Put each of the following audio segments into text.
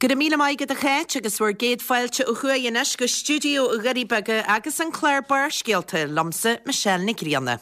Go raibh míle maith agat a Cháit agus bhur gcéad fáilte ó thuaidh anois go stiúideo Dhoirí Beaga agus an clár Barrscéalta liomsa Michelle Nic Grianna.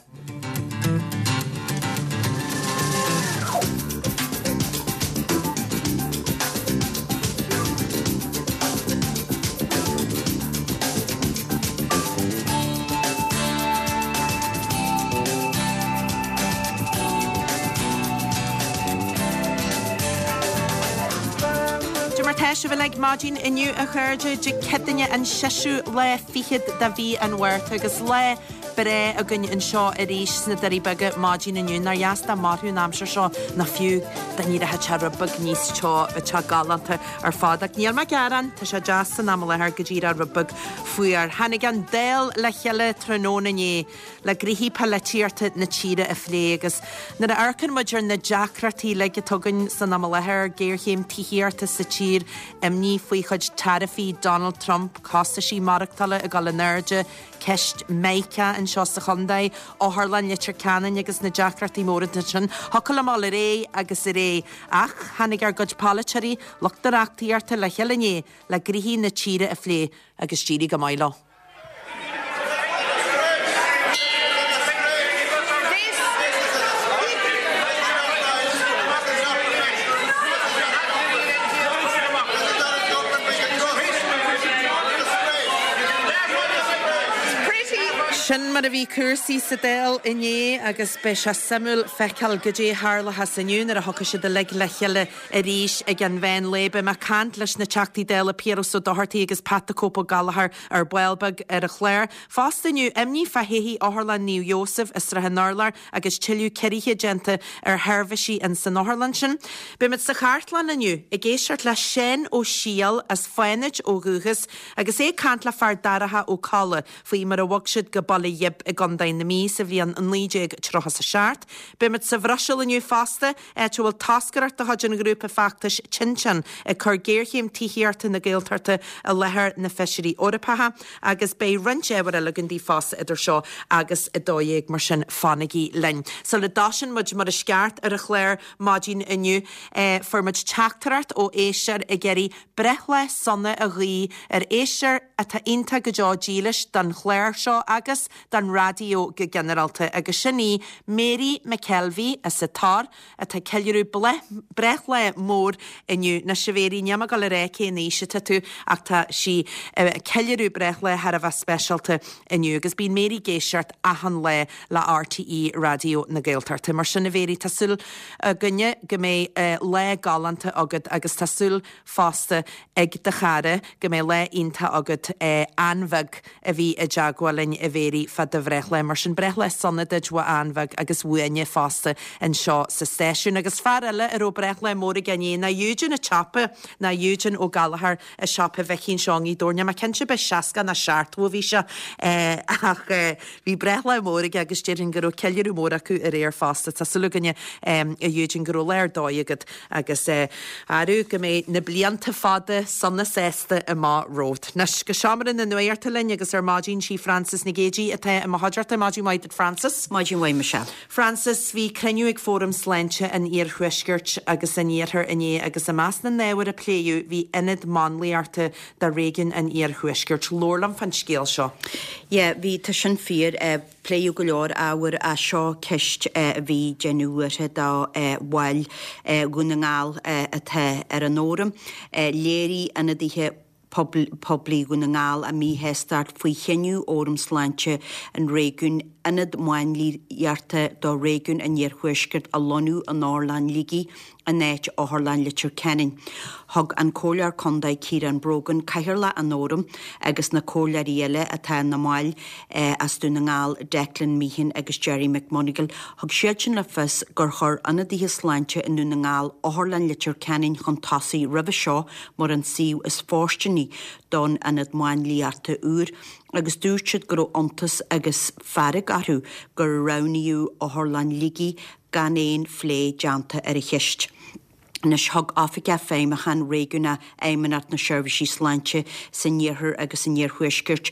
Cad é mar tá sibh uilig maidin inniu a chairde, Dé Céadaoine an seisiú lá fichead de mhí an Mhárta agus lá breá againn anseo arís sna Doirí Beaga maidin inniu. Nár dheas dá mairfeadh an aimsir seo nó fiú dá n-éireodh sé rud beag níos teo, bheadh sé galánta ar fad. Ach níl mé ag gearán, tá sé deas san am i láthair go díreach rud beag fuar. Tháinig an Dáil le chéile tráthnóna inné le gnoithí polaitíochta na tíre a phlé agus nuair a amharcann muid ar na deacrachtaí uilig atá againn san am i láthair, géarchéim tithíochta sa tír, imní faoi chuid taraifí Donald Trump, costaisí maireachtála ag dul in airde, ceist Meiriceá anseo sa chontae, Otharlann Leitir Ceanainn agus na deacrachtaí móra ansin, thiocfadh liom dul ar aghaidh agus ar aghaidh. Ach tháinig ár gcuid polaiteoirí, lucht na reachtaíochta le chéile inné le gnoithí na tíre a phlé agus d'éirigh go maith leo. Sin mar a bhí cúrsaí sa Dáil inné agus beidh sé suimiúil feiceáil goidé a tharlóchas inniu nuair a thiocfaidh siad uilig le chéile arís ag an mheán lae. Beidh mé ag caint leis na Teachtaí Dála Piaras Ó Dochartaigh agus Pat the Cope Ó Gallchóir ar ball beag ar an chlár. Fosta inniu, imní fá thodhchaí Otharlann Naomh Iósaf i Srath an Urláir agus tuilleadh ciorruithe déanta ar sheirbhísí in san otharlann sin. Beimid sa chartlann inniu ag éisteacht le Seán Ó Siadhail as Fánaid ó dhúchas agus é ag caint le Fear Darach Ó Colla faoi mar a bhog siad go Baile Ghib i gContae na Mí sa bhliain 1937. Beimid sa Bhruiséil inniu fosta áit a bhfuil toscaireacht de chuid an ghrúpa feachtais Tinteán ag cur géarchéim tithíochta na Gaeltachta i láthair na Feisirí Eorpacha agus beidh roinnt ábhar eile againn daoibh fosta idir seo agus 12 mar sin fanaigí linn. Sula dtosaíonn muid mar is ceart ar an chlár maidin inniu fuair muid teachtaireacht ó éisteoir ag iarraidh breithlá sona a ghuí ar éisteoir atá iontach go deo dílis don chlár seo agus don raidió go ginearálta agus sin í Mary McKelvey as an Tor atá ag ceiliúradh breithlá mór inniu. Anois a Mhary, níl mé ag dul a rá cén aois atá tú ach tá sí ag ceiliúradh breithlá thar a bheith speisialta inniu agus bíonn Mary ag éisteacht achan lá le RTÉ Raidió na Gaeltachta. Mar sin a Mhary, tá súil againne go mbeidh lá galánta agat agus tá súil fosta ag do chara go mbeidh lá iontach agat Ann Bheag a bhí i dteagmháil linn a Mhary fá do bhreithlá. Mar sin breithlá sona duit ó Ann Bheag agus uainne fosta anseo sa stáisiún. Agus fear eile a raibh breithlá mór aige inné ná Eugene an tsiopa, ná Eugene Ó Gallchóir i siopa Mhicí anseo i nGaoth Dobhair. Níl mé cinnte ab é 60 nó 70 a bhí sé ach bhí breithlá mór aige agus déarfainn go raibh ceiliúradh mór acu aréir fosta. Tá súil againne a Eugene go raibh lá ar dóigh agat Agus arú go mbeidh na blianta fada sona sásta amach romhat. Anois, go seomra na nuachta linn agus ar maidin sí Frances Nic Géadaigh atá i mo chuideachta. Maidin mhaith duit Frances. Maidin mhaith Michelle. Frances, bhí cruinniú ag Fóram Sláinte an Iarthuaiscirt agus an Iarthair inné agus i measc na n-ábhar a pléadh bhí ionad máinliachta do réigiún an Iarthuaiscirt. Labhair liom fán scéal seo. Yeah, bhí, tá sin fíor. Pléadh go leor ábhar ach seo ceist a bhí ag déanamh buartha do bhaill Dhún na nGall atá ar an fhóram. Léirigh ionadaithe poiblí Dhún na nGall a míshástacht faoi chinneadh Fhóram Sláinte an réigiúin ionad máinliachta do réigiún an Iarthuaiscirt a lonnú in Otharlann Shligigh in áit Otharlann Leitir Ceanainn. Thug an Comhairleoir Contae Ciarán Brogan, Cathaoirleach an Fhóraim, agus na comhairleoirí eile atá ina mbaill as Dún na nGall, Declan Meehan agus Gerry McMonagall, thug siadsan le fios gur chuir ionadaithe sláinte i nDún na nGall Otharlann Leitir Ceanainn chun tosaigh roimhe seo mar an suíomh is fóirsteanaí don ionad máinliachta úr agus dúirt siad go raibh iontas agus fearg orthu gur roghnaíodh Otharlann Shligigh gan aon phlé déanta ar an cheist. Anois, thug Oifigeach Feidhmiúcháin Réigiúnach Fheidhmeannacht na Seirbhísí Sláinte san Iarthar agus san Iarthuaisceart,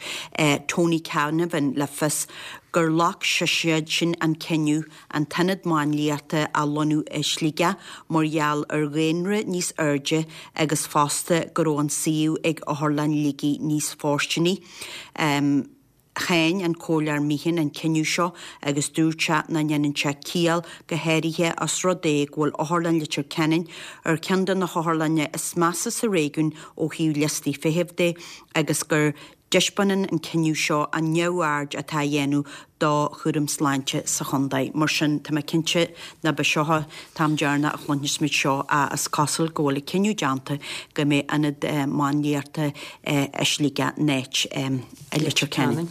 Tony Canavan, le fios gur ghlac seisean an cinneadh an t-ionad máinliachta a lonnú i Sligeach mar gheall ar dhaonra níos airde agus fosta go raibh an suíomh ag Otharlann Shligigh níos fóirsteanaí. Cháin an Comhairleoir Meehan an cinneadh seo agus dúirt sé nach ndéanann sé ciall, go háirithe os rud é go bhfuil Otharlann Leitir Ceanainn ar cheann de na hotharlanna is measa sa réigiún ó thaobh liostaí feithimh de agus go dtaispeánann an cinneadh seo an neamhaird atá á dhéanamh do chúram sláinte sa chontae. Mar sin, tá mé cinnte ná beidh seo an t-am deireanach a chluinfeas muid seo ach is cosúil go bhfuil an cinneadh déanta go mbeidh ionad máinliachta i Sligeach in áit i Leitir Ceanainn.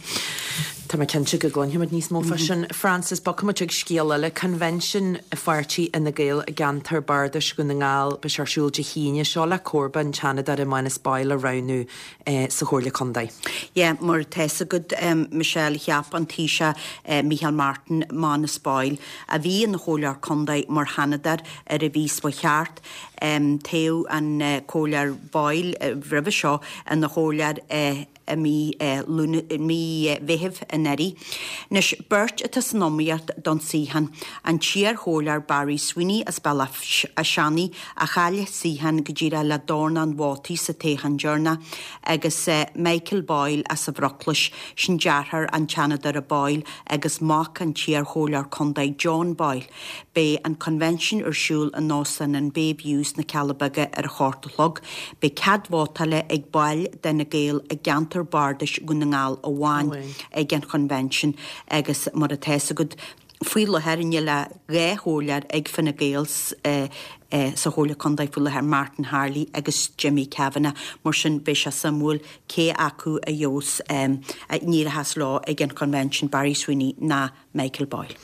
Tá mé cinnte go gcluinfimid níos mó fá sin. Frances, bogfaimid chuig scéal eile, Convention Pháirtí Fhine Gael i gceantar Bardais Dhún na nGall, beidh sé ar siúl Dé hAoine seo le comharba an tSeanadóra Manus Boyle a roghnú sa Chomhairle Contae. Yeah, mar atá fhios agat, Michelle, cheap an Taoiseach Micheál Martin Manus Boyle, a bhí ina Chomhairleoir Contae, mar Sheanadóir ar an mhí seo chuaigh thart. Toghadh an Comhairleoir Boyle roimhe seo ina Chomhairleoir i mí mí Mheithimh anuraidh. Anois, beirt atá san iomaíocht don suíochán, an t-iar-chomhairleoir Barry Sweeney as Bealach a'Seannaigh, a chaill a suíochán go díreach le dornán vótaí sa toghchán deireanach, agus Michael Boyle as an Bhruclais, sin deartháir an tSeanadóra Boyle agus mac an t-iar-chomhairleoir contae John Boyle. Beidh an Convention ar siúl in Óstán an Bay View sna Cealla Beaga ar a hocht a chlog. Beidh cead vótála ag baill d'Fhine Gael i gceantar bardais Dhún na nGall amháin ag an Chonvention agus mar atá fhios agat faoi láthair níl ach 2 chomhairleoir ag Fine Gael sa Chomhairle Contae faoi láthair, Martin Harley agus Jimmy Kavanagh. Mar sin beidh sé suimiúil cé acu a gheobhas a n-éireochas leo ag an Chonvention, Barry Sweeney ná Michael Boyle.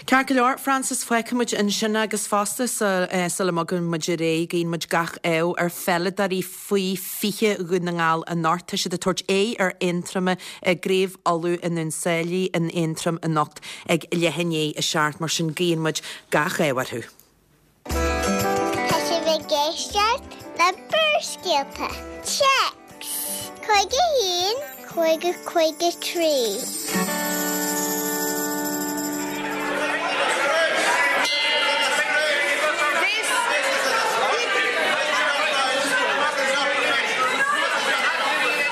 Ceart go leor, Frances, fágfaidh muid ansin agus fosta sula mbogann muid ar aghaidh, guíonn muid gach ádh ar pheileadóirí faoi 20 Dhún na nGall anocht. Tá siad ag tabhairt aghaidh ar Aontroim i gCraobh Uladh i nDún Sáile in Aontroim anocht ag leath i ndiaidh a 7, mar sin guíonn muid gach ádh orthu. Tá sibh ag éisteacht le Barrscéalta. Téacs 51 50 53.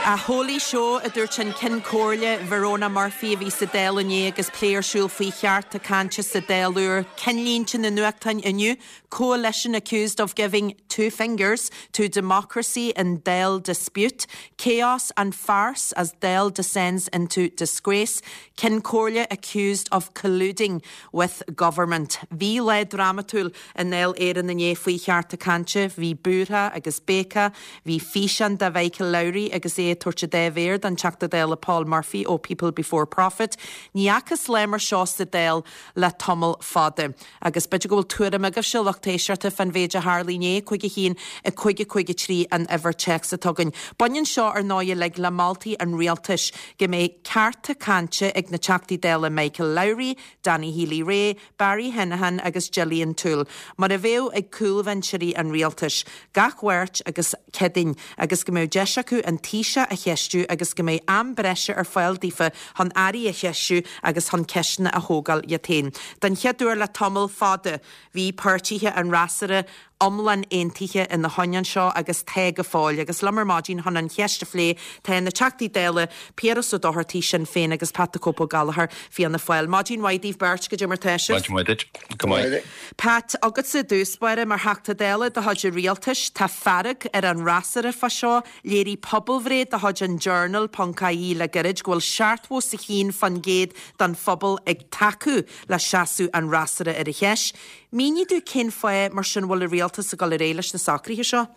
A holy show, a dúirt an Ceann Comhairle Verona Murphy a bhí sa Dáil inné agus plé ar siúl faoi chearta cainte sa Dáil úr. Cinnlínte na nuachtáin inniu, Coalition accused of giving two fingers to democracy in Dáil dispute, Chaos and farce as Dáil descends into disgrace, Ceann Comhairle accused of colluding with government. Bhí lá drámatúil i nDáil Éireann inné faoi chearta cainte. Bhí búrtha agus béiceadh. Bhí físeán de Mhichael Lowry agus é ag tabhairt an dá mhéar don Teachta Dála Paul Murphy ó People Before Profit. Ní fhacthas lá mar seo sa Dáil le tamall fada. Agus b'fhéidir go bhfuil tuairim agaibhse, lucht éisteachta, fán mhéid a tharla inné, 51 5 5 3 an uimhir téacs atá againn. Baineann seo, ar ndóigh, uilig le moltaí an rialtais go mbeidh cearta cainte ag na Teachtaí Dála Michael Lowry, Danny Healy-Rae, Barry Heneghan agus Gillian Toole, mar a bheadh ag cúlbhinseoirí an rialtais, gach Mháirt agus Céadaoin, agus go mbeadh deis acu an Taoiseach a cheistiú agus go mbeidh am breise ar fáil daofa chun airí a cheistiú agus chun ceisteanna a thógáil iad féin. Den chéad uair le tamall fada bhí páirtithe an fhreasúra iomlán aontaithe ina choinne seo agus tá go fóill. Agus liom ar maidin chun an cheist a phlé tá na Teachtaí Dála Piaras Ó Dochartaigh, Sinn Féin, agus Pat the Cope Ó Gallchóir, Fianna Fáil. Maidin mhaith daoibh beirt, goidé mar tá sibh? Maidin mhaith duit. Go maith. Pat, agatsa i dtús báire, mar Theachta Dála de chuid an Rialtais, tá fearg ar an fhreasúra fá seo. Léirigh pobalbhreith de chuid an Journal ponc ie le gairid go bhfuil 71% den phobal ag tacú le seasamh an fhreasúra ar an cheist. Mínigh domh cén fáth mar sin a bhfuil an Rialtas ag dul ar aghaidh leis na socruithe seo?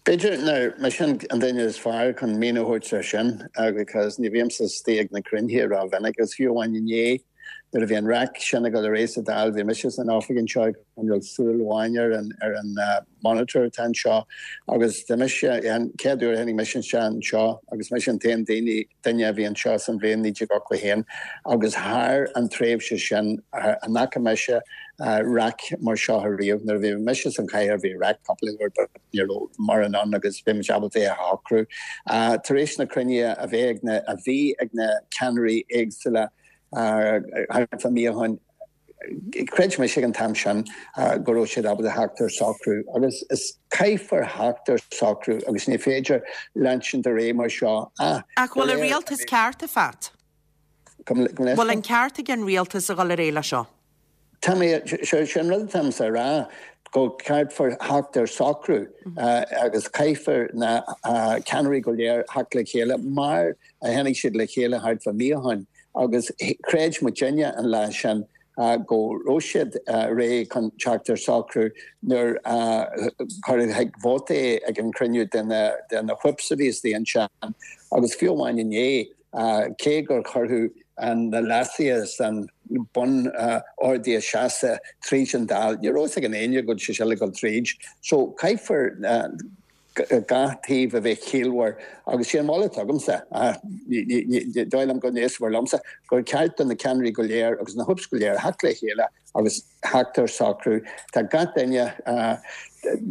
B'fhéidir nach mise an duine is fearr chun míniú a thabhairt ar sin because ní bhímse istigh ag na cruinnithe rómhinic agus fiú amháin inné. Nuair a bhí an raic sin ag dul ar aghaidh sa Dáil, bhí mise san oifig anseo ag coinneáil súil amháin ar an ar an monitor atá anseo agus tá mise, an chéad uair a tháinig mise isteach anseo agus mise an t-aon daoine, duine a bhí anseo san bhliain 1981 agus thar an tréimhse sin an fhaca mise raic mar seo ariamh. Nuair a bhí mise san chathaoir bhí raic cúpla uair but ní raibh mórán ann agus bhí muid ábalta é a shocrú. Tar éis na cruinnithe a bheith ag na, a bhí ag na ceannairí éagsúla thart fá mí ó shin, Chreid mise ag an t-am sin go raibh siad ábalta theacht ar socrú agus is caithfear theacht ar socrú agus ní féidir leansint ar aghaidh mar seo ach Ach bhfuil an rialtas ceart, a Phat? Bhfuil an ceart ag an rialtas a dhul ar aghaidh le seo? Tá mé, sé an rud atáimse a rá go caithfear theacht ar socrú agus caithfear na ceannairí go léir theacht le chéile mar a tháinig siad le chéile thart fá mí ó shin. Agus chreid muidinne an lá sin go raibh siad réidh chun teacht ar socrú nuair a cuireadh chuig vóta é ag an chruinniú de na whips a bhí istigh ansin. Agus fiú amháin inné, cé gur cuireadh na leasuithe san bun-orduithe seasta tríd an Dáil, ní raibh fhios ag aon éinne go bhfuil sé seo le dul tríd. So caithfear. gach taobh a bheith ciallmhar agus sé an moladh atá agamsa, ní dóigh liom go n-éistfear liomsa, gur ceart do na ceannairí go léir agus na whips go léir theacht le chéile agus theacht ar socrú. Tá gach duine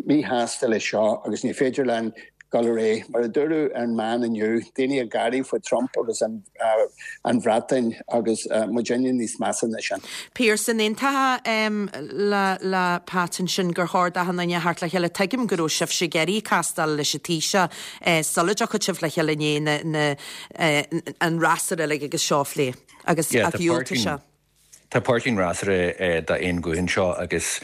míshásta leis seo agus ní féidir linn dul ar aghaidh. Mar a dúradh ar an meán inniu, daoine ag gáirí faoi Trump agus an Bhreatain agus muidinne níos measa ná sin. Pearse, an aontófá le Pat ansin gur chóir d'achan duine a theacht le chéile. Tuigim go raibh sibhse ag iarraidh castáil leis an Taoiseach sula dtiocfadh sibh le chéile inné na an fhreasúra uilig agus seo a phlé agus ach dhiúltaigh sé. Tá páirtí an fhreasúra d'aon ghuth anseo agus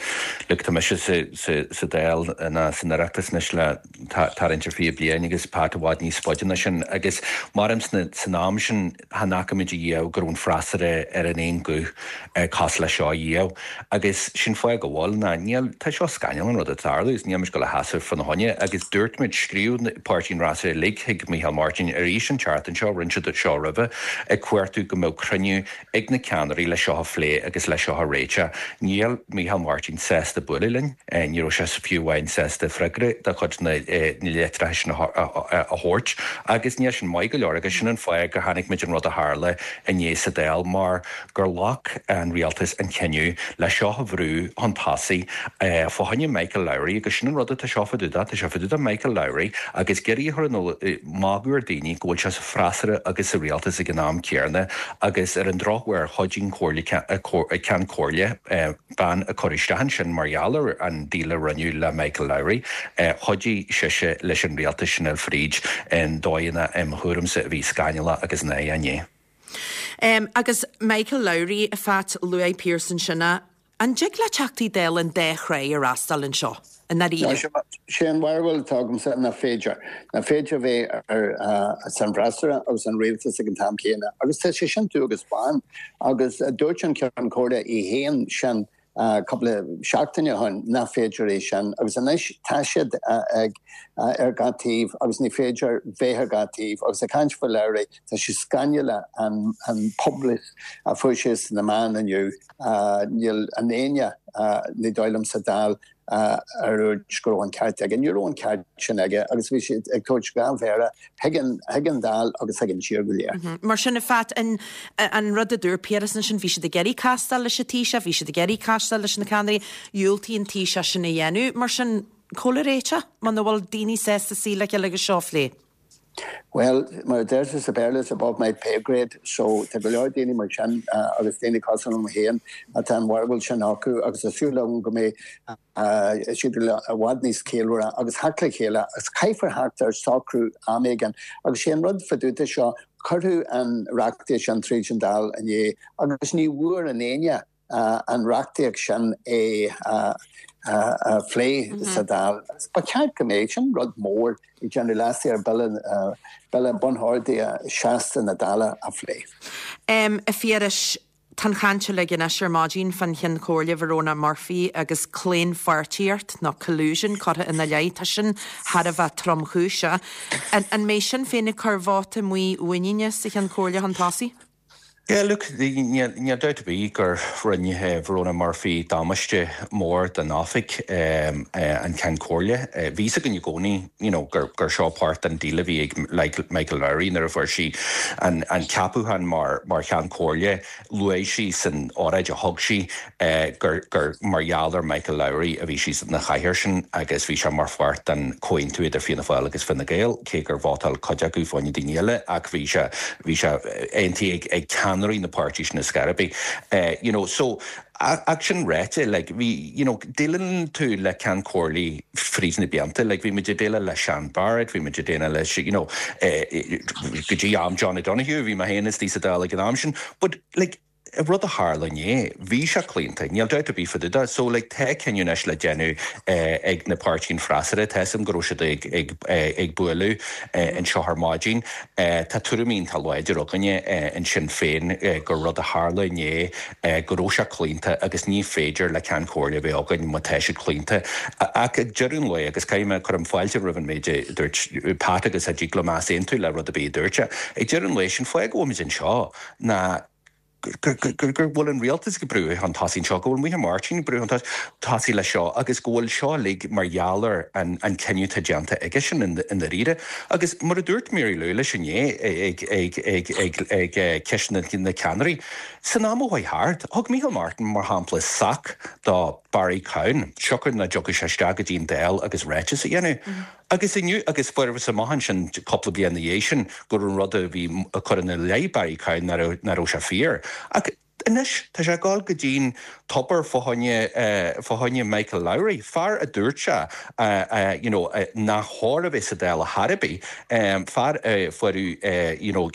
look tá mise sa Dáil ná san Oireachtas anois le tarraingt ar 20 bliain agus Pat i bhfad níos faide ná sin agus maram san am sin chan fhaca muid ariamh go raibh an freasúra ar an aon ghuth cosúil le seo ariamh agus sin fáth go bhfuil ná níl tá seo scannal an rud atá ag tarlú agus níl muid ag dul a sheasamh fána choinne agus dúirt muid scríobh páirtí an fhreasúra uilig chuig Micheál Martin arís an tseachtain seo rinne siad seo roimhe ag cuartú go mbeadh cruinniú ag na ceannairí le seo a phlé agus le seo a réiteach. Níl Micheál Martin sásta bualadh linn, ní raibh sé fiú amháin sásta freagra de chuid na litreacha sin a thabhairt agus níl sin maith go leor agus sin an fáth gur chonaic muid an rud a tharla inné sa Dáil mar gur ghlac an rialtas an cinneadh le seo a bhrú chun tosaigh fá choinne Michael Lowry agus sin an rud atá seo fá dtaobh de, tá sé fá dtaobh de Michael Lowry agus ag iarraidh a chur in iúl magadh ar daoine go bhfuil sé sa freasúra agus sa rialtas ag an am céanna agus ar an drochuair chuidigh an Chomhairle, Ceann Comhairle, bean a cuireadh isteach ansin mar gheall ar an deal a rinneadh le Michael Lowry, chuidigh sise leis an rialtas sin a fháil fríd i ndóigheanna im thuairimse a bhí scannalach agus náireach inné. Agus Michael Lowry, a Phat, luaigh Pearse ansin é. An dtig le Teachtaí Dála an dá thráigh a fhreastal anseo, i ndáiríre? Sé an bharúil atá agamsa nach féidir. Nach féidir bheith ar san bhfreasúra agus an rialtas ag an t-am céanna. Agus tá sé sin dubh agus bán. Agus dúirt an Ceann Comhairle é féin sin cúpla seachtain ó shin nach féidir é sin. Agus anois tá siad ag ar gach taobh agus ní féidir bheith ar gach taobh. Agus ag caint faoi Lowry, tá sé scannalach an publicity a fuair sé sna meáin inniu. Níl aon éinne, ní dóigh liom, sa Dáil a dúirt go raibh an ceart aige. Ní raibh an ceart sin aige agus bhí sé ag tabhairt dhá mhéara chuig an Dáil agus chuig an tír go léir. Mar sin, a Phat, an rud a dúirt Piaras ansin, bhí siad ag iarraidh castáil leis an Taoiseach, bhí siad ag iarraidh castáil leis na ceannairí, dhiúltaigh an Taoiseach sin a dhéanamh. Mar sin, cá bhfuil an réiteach muna bhfuil daoine sásta suí le chéile agus seo a phlé? Bhuel, mar a deirtear sa Bhéarla, it's above my pay grade, so tá go leor daoine mar sin agus daoine cosúil liom féin atá an bharúil sin acu agus tá súil agam go mbeidh siad i bhfad níos ciallmhaire agus theacht le chéile agus caithfear theacht ar socrú am éigin. Agus sé an rud fá dtaobh de seo, cuireadh an reachtaíocht sin tríd an Dáil inné agus ní bhfuair aon éinne an reachtaíocht sin a phlé sa Dáil. Ba cheart go mbeadh, sin rud mór ag déanamh leasuithe ar Bhille, Bille Bun-Orduithe Seasta na Dála a phlé. A Phiarais, tá an chaint uilig anois ar maidin fán Cheann Comhairle Verona Murphy agus claonpháirtíocht nó collusion curtha ina leith. Tá sin thar a bheith tromchúiseach. An mbeidh Sinn Féin ag cur vóta muiníne sa Cheann Comhairle chun tosaigh? Yeah, look, níl dabht ar bith gur rinne Verona Murphy damáiste mór don oifig, an Ceann Comhairle. Bhí fhios againn i gcónaí, you know, gur seo páirt den deal a bhí ag Michael Lowry nuair a fuair sí an ceapúchán mar Cheann Comhairle. Luaigh sí san óráid a thug sí gur mar gheall ar Michael Lowry a bhí sí sa chathaoir sin agus bhí sé mar pháirt den chomhaontú idir Fianna Fáil agus Fine Gael, cé gur vótáil cuid acu fá choinne daoine eile ach bhí sé, bhí sé aontaithe ag ceannairí na páirtí sin ar scor ar bith. You know, so, ach sin ráite, like, bhí, you know, déileálann tú le Ceann Comhairlí fríd na blianta, like, bhí muid ag déileáil le Sean Barrett, bhí muid ag déileáil leis, you know, go dtí am John O'Donoghue, bhí mé féin istigh sa Dáil ag an am sin, but, like, an rud a tharla inné, bhí sé claonta, níl dabht ar bith fá dtaobh de. So, like, tá cinneadh anois le déanamh ag na páirtí an freasúra, tá 'fhios a'm go raibh siad ag, ag, ag bualadh anseo ar maidin. Tá tuairimí iontach láidir againne in Sinn Féin gur rud a tharla inné go raibh sé claonta agus ní féidir le Ceann Comhairle a bheith againn má tá siad claonta. Ach ag deireadh an lae, agus caithfidh mé, cuirim fáilte roimh an méid a dúirt Pat agus a dtig liom easaontú le rud ar bith a dúirt sé, ag deireadh an lae, sin fáth go bhfuil muid anseo ná go bhfuil an rialtas ag brú chun tosaigh anseo, go bhfuil Micheál Martin ag brú chun tosaigh leis seo agus go bhfuil seo uilig mar gheall ar an cinneadh atá déanta aigesean i ndáiríre. Agus mar a dúirt Mary Lou leis inné ag ceisteanna na ceannairí, San am a chuaigh thart, thug Micheál Martin, mar shampla, sac do Barry Cowen, siocair nach dtiocfadh sé isteach go dtí an Dáil agus ráiteas a dhéanamh. Agus inniu, agus fuarthas amach ansin cúpla bliain ina dhiaidh sin go raibh an rud a bhí á chur ina leith Barry Cowen nach raibh, nach raibh sé fíor. Ach anois, tá sé ag dul go dtí'n tobar fá choinne, fá choinne Michael Lowry, fear a dúirt sé, you know, nach chóir a bheith sa Dáil ar chor ar bith, fear a fuair, you know,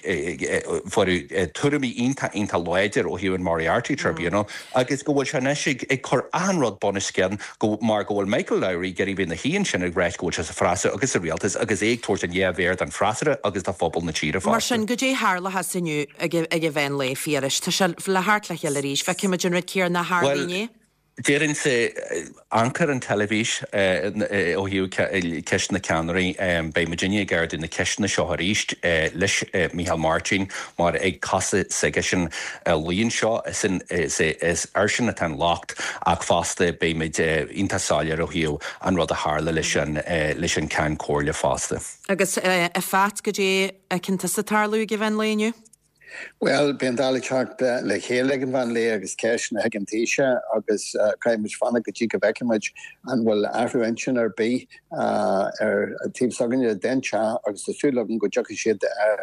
fuair tuairimí iontach, iontach láidir ó thaobh an Moriarty Tribunal agus go bhfuil sé anois ag, ag cur achan rud bunoscionn go, mar go bhfuil Michael Lowry ag iarraidh bheith ina shuí ansin ag ráit go bhfuil sé sa freasúra agus sa rialtas agus é ag tabhairt an dhea-mhéar don freasúra agus do phobal na tíre fosta. Mar sin, goidé tharlóchas inniu ag an mheán lae, Phiarais? Tá sé le theacht le chéile arís. Feicfimid an rud céanna a tharla inné. Déarfainnse, amharc ar an teilifís ó thaobh ceist na ceannairí, beidh muidinne ag ardú na ceisteanna seo arís leis Micheál Martin mar ag cosa s'aigesean a luíonn seo, is airsean atá an locht ach fosta beidh muid iontach soiléir ó thaobh an rud a tharla leis an leis an Ceann Comhairle fosta. Agus a Phat, goidé a fheiceann tusa ag tarlú ag an mheán lae inniu? Bhuel, beidh an Dáil ag teacht le chéile ag an mheán lae agus ceisteanna chuig an Taoiseach agus caithfidh muid fanacht go dtí go bhfeicfidh muid an bhfuil athrú intinn ar bith ar taobh s'againne den teach agus tá súil agam go dtiocfaidh siad ar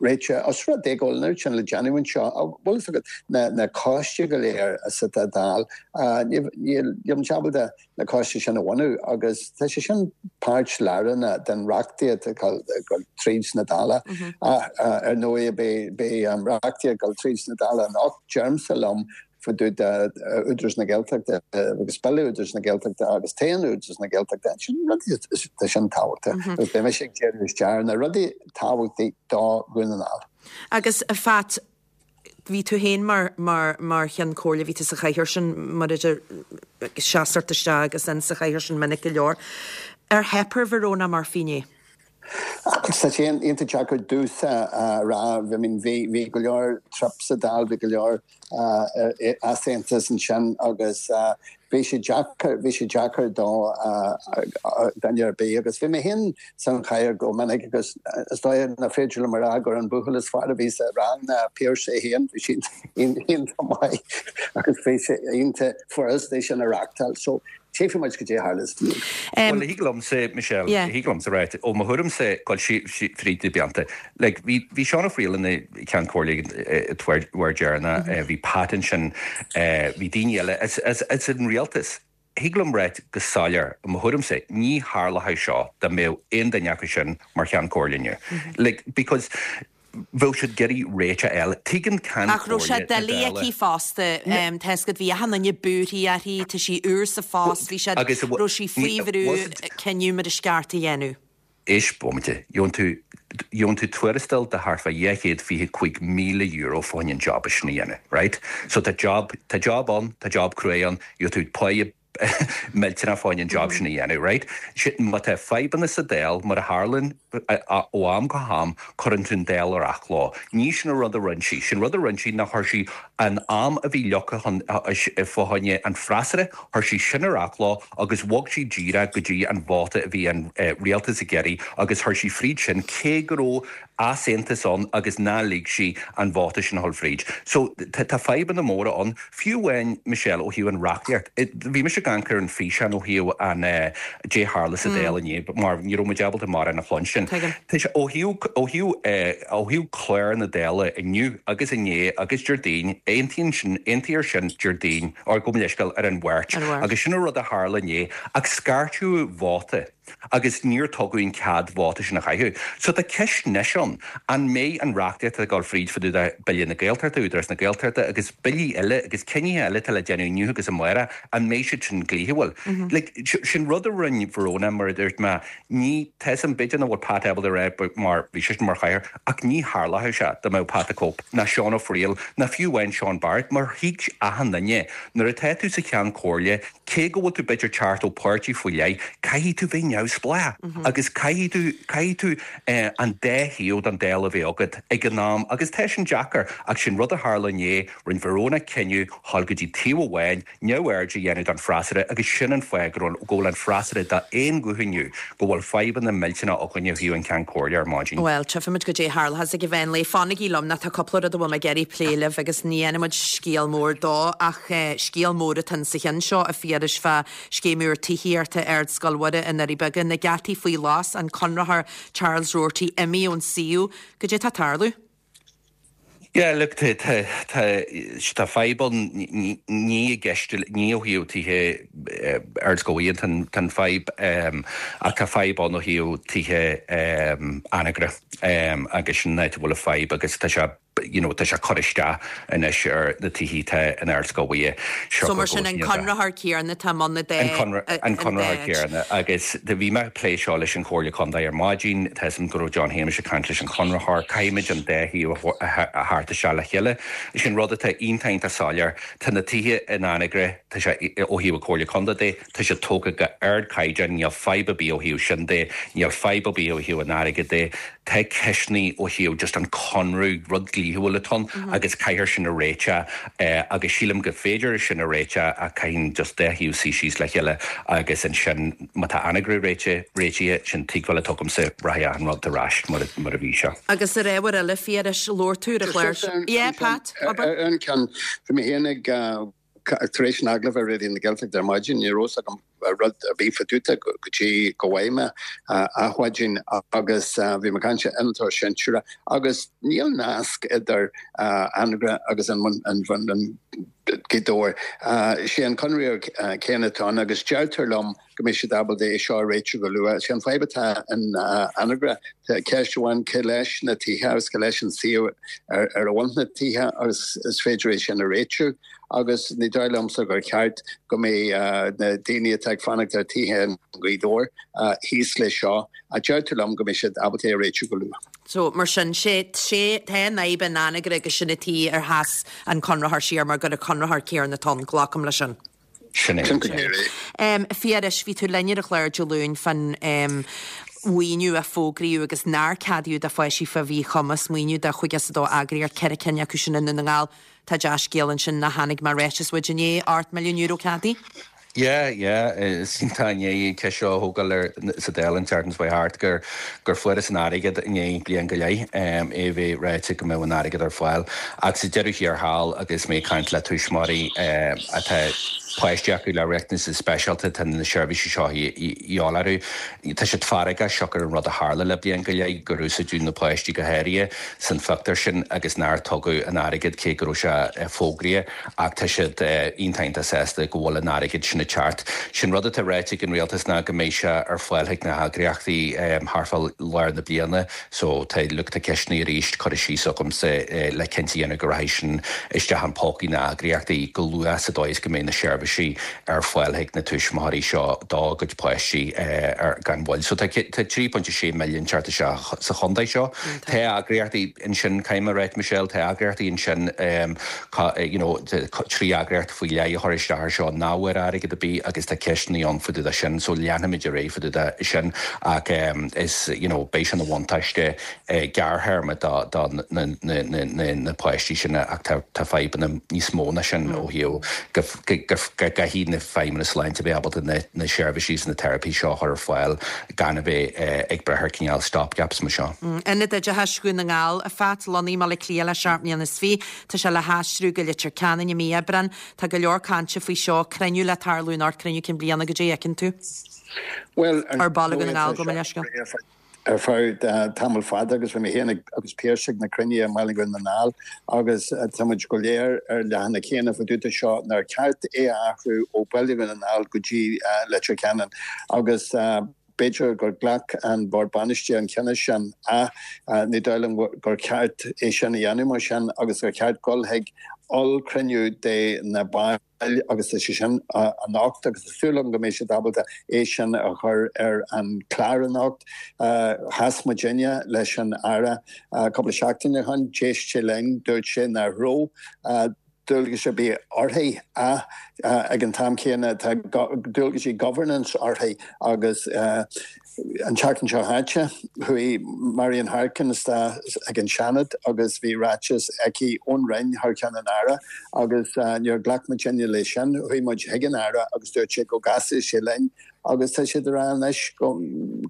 réiteach. Os rud é go bhfuil an oiread sin le déanamh anseo, an bhfuil fhios agat, na coistí go léir sa Dáil, níl muid ábalta na coistí sin a bhunú agus tá sé sin páirt lárnach den reachtaíocht ag dul tríd sna Dála. Ach ar ndóigh beidh reachtaíocht ag dul tríd sna Dála anocht, deirimse liom fá dtaobh de Údarás na Gaeltachta agus Bille Údarás na Gaeltachta agus toghchán Údarás na Gaeltachta, sin rudaí tá sin tábhachtach agus beidh mise ag díriú isteach ar na rudaí tábhachtaí do Dhún na nGall. Agus a Phat, Bhí tú féin mar, mar, mar Cheann Comhairle, bhí tú sa chathaoir sin, mar a deir, ag seasamh isteach agus in sa chathaoir sin minic go leor. Ar theip ar Verona Murphy inné? Tá sé iontach deacair domhsa a rá. I mean, bhí, bhí go leor trup sa Dáil, bhí go leor easaontas ansin agus bhí sé deacair, bhí sé deacair do dhuine ar bith agus bhí mé féin san chathaoir go minic agus is dóigh nach féidir liom a rá gur an buachaill is fearr a bhí sa rang ná Pearse é féin, bhí sé iontach maith agus bhí sé iontach furasta é sin a reachtáil. So tchífidh muid goidé a tharlós inniu. Bhuel, thig liomsa, Michelle, thig liomsa a ráit, ó mo thuairimse, dul fríd na blianta, like, bhí, bhí Seán Ó Fearghaíl ina Cheann Comhairle an uair deireanach, bhí Pat ansin, bhí daoine eile as, as, as an rialtas. Thig liom ráit go soiléir, i mo thuairimse, ní tharlódh seo dá mbeadh aon duine acu sin mar Cheann Comhairle inniu. Like, because bheadh siad ag iarraidh réiteach a fháil. Tuigeann Ceann Ach raibh sé Comhairle na doiligh Dála. aici fosta. Tá fhios agat, bhí achan duine buartha uirthi, tá sí úr sa phost, bhí sé, Agus raibh sí faoi bhrú cinneadh mar is ceart a dhéanamh. Éist bomaite, gheobhann tú, gheobhann tú tuarastal de thart fá €225,000 fá choinne an job sin a dhéanamh, right? So tá job, tá job ann, tá job cruaidh ann, gheobhaidh tú páighe. millteanach fá choinne an job sin a dhéanamh, right? Má tá fadhbanna sa Dáil, mar a tharlaíonn ó am go ham, cuireann tú an Dáil ar athló. Ní sin an rud a rinne sí. Sin rud a rinne sí ná chuir sí an am a bhí leagtha chun fá choinne an freasúra, chuir sí sin ar athló agus bhog sí díreach go dtí an vóta a bhí an rialtas ag iarraidh agus chuir sí fríd sin cé go raibh easaontas ann agus nár lig sí an vóta sin a dhul fríd. So tá fadhbanna móra ann. Fiú amháin, Michelle, ó thaobh an reachtaíocht, bhí mise ag amharc ar an físeán ó thaobh an dé tharla sa Dáil inné mar ní raibh muid ábalta mórán a chluinstin. Tá sé ó thaobh ó thaobh ó thaobh clár na Dála inniu agus inné agus Déardaoin, aontaíonn sin, aontaíodh sin Déardaoin, or gabh mo leithscéal, ar an Mháirt agus sin an rud a tharla inné ach scairteadh vóta. agus níor tugadh an cead vóta sin a chaitheamh. So tá ceist anois ann, an mbeidh an reachtaíocht atá ag dul fríd fá dtaobh de Bille na Gaeltachta, Údarás na Gaeltachta agus billí eile agus cinnithe eile atá le déanamh inniu agus amárach, an mbeidh siad sin dlíthiúil? Like, sin rud a rinne Verona, mar a dúirt mé, ní, tá 'fhios a'm, b'fhéidir nach bhfuil Pat ábalta a rá mar bhí seisean mar chathaoirleach, ach ní tharlódh sé dá mbeadh Pat the Cope, ná Seán Ó Fearghaíl, ná fiú amháin Seán Barrett, mar thuig achan duine, nuair atá tú sa Cheann Comhairle, Cé go bhfuil tú b'fhéidir teacht ó páirtí faoi leith, caithfidh tú bheith neamhspleách agus caithfidh tú, caithfidh tú an dá thaobh den Dáil a bheith agat ag an am agus tá sin deacair ach sin rud a tharla inné, rinne Verona cinneadh dhul go dtí taobh amháin, neamhaird a dhéanamh don freasúra agus sin an fáth go bhfuil an freasúra d'aon ghuth inniu go bhfuil fadhbanna millteanacha againn ó thaobh an Ceann Comhairle ar maidin. Bhuel, tchífimid goidé a tharlóchas ag an mheán lae. Fanaigí liom, nó tá cúpla rud a bhfuil mé ag iarraidh plé libh agus ní dhéanfaidh muid scéal mór dó ach scéal mór atá insa cheann seo, a Phiarais, fá scéim úr tithíochta Ardscoil Mhuire i nDoirí Beaga, na geataí faoi ghlas, an conraitheoir Charles Roarty imithe ón suíomh. Goidé atá ag tarlú? Yeah, look, tá, tá, tá, tá fadhb ann, ní i gceist, ní ó thaobh tithe Ardscoil Mhuire tá an, tá an fadhb, ach tá fadhb ann ó thaobh tithe Anagaire agus sin an áit a bhfuil an fadhb agus tá sé, you know, tá sé ag cur isteach anois ar na tithe atá in Ardscoil Mhuire. So mar sin an conraitheoir céanna atá i mbun na dá, An conraitheoir céanna agus bhí mé ag plé seo leis an Chomhairle Contae ar maidin, tá 'fhios a'm go raibh John Shéamais ag caint leis an chonraitheoir, caithfimid an dá thaobh a thabhairt isteach le chéile. Sin rud atá iontach iontach soiléir, tá na tithe in Anagaire, tá sé ó thaobh an Chomhairle Contae de, tá siad tógtha go ardchaighdeán, níl fadhb ar bith ó thaobh sin de, níl fadhb ar bith ó thaobh an airgid de. Tá ceisteanna ó thaobh just an conradh, rud dlíthiúil atá ann agus caithfear sin a réiteach agus sílim go féidir sin a réiteach ach caithfidh just dá thaobh suí síos le chéile agus ansin má tá Anagaire réitithe, réitithe, sin tuigbheáil atá agamsa, rachaidh achan rud ar ais mar a mar a bhí sé. Agus ar ábhar eile, Phiarais, labhair tú ar an chlár seo. Yeah, Pat, abair. Ar an ceann, bhí mé féin ag Tar éis an agallaimh ar Raidió na Gaeltachta ar maidin, ní raibh fhios agam rud ar bith fá dtaobh de go dtí go bhfaigh mé adhmhaidin agus bhí mé ag caint le innealtóir sinsearach agus níl nasc idir Anagaire agus an Gaoth Dobhair. Sé an conraitheoir céanna atá ann agus deirtear liom go mbeidh siad ábalta é seo a réitiú go luath. Sé an fadhb atá in Anagaire, tá ceist amháin cé leis na tithe agus cé leis an suíomh ar a bhfuil na tithe agus is féidir é sin a réitiú agus ní dóigh liomsa gur cheart go mbeidh na daoine atá ag fanacht ar tithe i nGaoth Dobhair thíos leis seo. Deirtear liom go mbeidh siad ábalta é a réitiú go luath. So, mar sin, sé, sé, tá an fhadhb in Anagaire agus sin an tuige ar sheas an conraitheoir siar mar gur an conraitheoir céanna atá ann, glacaim leis sin. Sin é. Sin go díreach é. A Phiarais, bhí tú linn ar an chlár Dé Luain fán mhaoiniú a fógraíodh agus nár ceadaíodh do pháistí fá mhíchumas, maoiniú do 52 eagraíocht, 4 cinn acu sin i nDún na nGall. Tá dea-scéal ansin nár tháinig mar ráiteas uait inné, €8 milliún ceadaithe. Yeah, yeah, is iontach i ndiaidh an cheist seo a thógáil ar sa Dáil an tseachtain seo chuaigh thart gur gur fuarthas an airgead i ndiaidh bliain go leith, é a bheith ráite go mbeadh an airgead ar fáil. Ach sa deireadh thiar thall agus mé ag caint le tuismitheoirí atá páistí acu le riachtanais speisialta, tá na seirbhísí seo a dhíobháil orthu. Tá siad feargach siocair an rud a tharla le bliain go leith, gur úsáideadh na páistí go háirithe san phictiúr sin agus nár tugadh an airgead cé go raibh sé fógraithe. Ach tá siad iontach iontach sásta go bhfuil an airgead sin ag teacht. Sin rud atá ráite ag an rialtas ná go mbeidh sé ar fáil chuig na heagraíochtaí thart fá lár na bliana so tá look tá ceisteanna arís curtha síos agamsa le cinnte a dhéanamh go rachaidh sin isteach in pócaí na heagraíochtaí go luath sa dóigh is go mbeidh na seirbhísí. seirbhísí ar fáil chuig na tuismitheoirí seo dá gcuid páistí ar gan mhoill. So tá 3.6 milliún teacht isteach sa chontae seo. Tá eagraíochtaí ansin, caithfidh mé a ráit Michelle, tá eagraíochtaí ansin you know 3 eagraíocht faoi leith a chuir isteach ar seo nach bhfuair airgead ar bith agus tá ceisteanna ann fá dtaobh de sin so leanfaimid ar aghaidh fá dtaobh de sin ach is you know beidh sé ina bhuntáiste gearrthéarma do na páistí sin ach tá fadhbanna níos mó ná sin ó thaobh go gcaithfidh na feidhmeanna sláinte bheith ábalta na seirbhísí is na teiripí seo a chur ar fáil gan a bheith ag brath ar cineál stopgaps mar seo. Ionad Oideachais Dhún na nGall, a Phat, lonnaithe i mBaile Átha Cliath le 27 mbliana, tá sé le haistriú go Leitir Ceanainn i mí Aibreáin. Tá go leor cainte faoi seo, cruinniú le tarlú anocht, cruinniú cinn bliana, goidé a fheiceann tú? Bhuel, Ar Baile Dhún na nGall, gabh mo leithscéal. ar feadh tamall fada agus bhí mé féin agus Pearse ag na cruinnithe i mBaile Dhún na nGall agus tá muid go léir ar leathanach céanna fá dtaobh de seo nár cheart é a athrú ó Baile Dhún na nGall go dtí Leitir Ceanainn agus b'fhéidir gur ghlac an Bord Bainistí an cinneadh sin ach ní dóigh liom gur cheart é sin a dhéanamh mar sin agus gur cheart dul chuig ollchruinniú de na baill agus tá sé sin anocht agus tá súil agam go mbeidh siad ábalta é sin a chur ar an chlár anocht. Chas muidinne leis an Aire cúpla seachtain ó shin, d'éist sé linn, dúirt sé nach raibh dualgais ar bith uirthi ach ag an t-am céanna tá dualgaisí governance uirthi agus An tseachtain seo chaite, chuaigh Marian Harkin isteach ag an Seanad agus bhí ráiteas aici ón Roinn thar ceann an Aire agus níor ghlac muidinne leis sin. Chuaigh muid chuig an Aire agus dúirt sé go gcasfadh sé linn agus tá siad ag rá anois go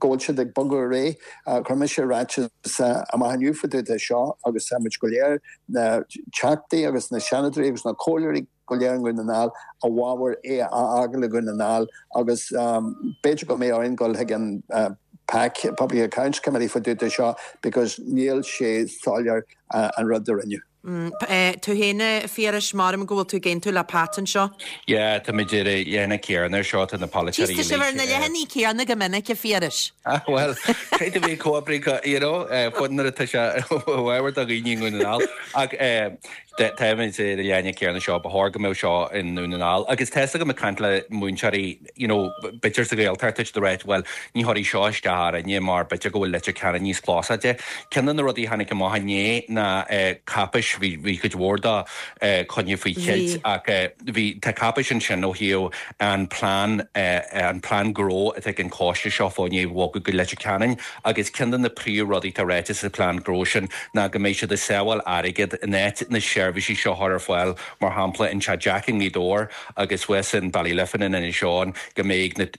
bhfuil siad ag bogadh ar aghaidh. Chuir mise ráiteas amach inniu fá dtaobh de seo agus tá muid go léir, na Teachtaí agus na Seanadóirí agus na Comhairleoirí, go léir i nDún na nGall i bhfabhar é a fhágáil i nDún na nGall agus b'fhéidir go mbeidh orainn dul chuig an PAC, Public Accounts Committee, fá dtaobh de seo because níl sé soiléir an rud a rinneadh. Tú féin, a Phiarais, maram go bhfuil tú ag aontú le Pat anseo. Yeah, táimid ar an leathanach céanna ar seo, tá na polaiteoirí uilig. Tá sibh ar na leathanaigh céanna go minic, a Phiarais. Ah, bhuel, caithfidh tú bheith comhoibríoch, you know, fud nuair atá sé i bhfabhar do dhaoine i nDún na nGall. Ach Táimid ar an leathanach céanna seo, ba chóir go mbeadh seo i nDún na nGall. Agus tá's agam ag caint le múinteoirí, you know, b'fhéidir sa Ghaeltacht, tá siad ag ráit, bhuel, ní chuirfidh seo isteach orainne mar b'fhéidir go bhfuil Leitir Ceanainn níos closáilte. Ceann de na rudaí a tháinig amach inné ná cáipéis, bhí, bhí cuid mhór de coinnithe faoi cheilt ach bhí, tá cáipéis ansin ó thaobh an plean, an plean gnó atá ag an choiste seo fá choinne bogadh go Leitir Ceanainn. Agus ceann de na príomhrudaí atá ráite sa phlean gnó sin ná go mbeidh siad ag sábháil airgead in áit na seirbhísí seo a chur ar fáil, mar shampla in Teach Jack i nGaoth Dobhair agus thuas in Ballyliffin in Inis Eoghain, go mbeidh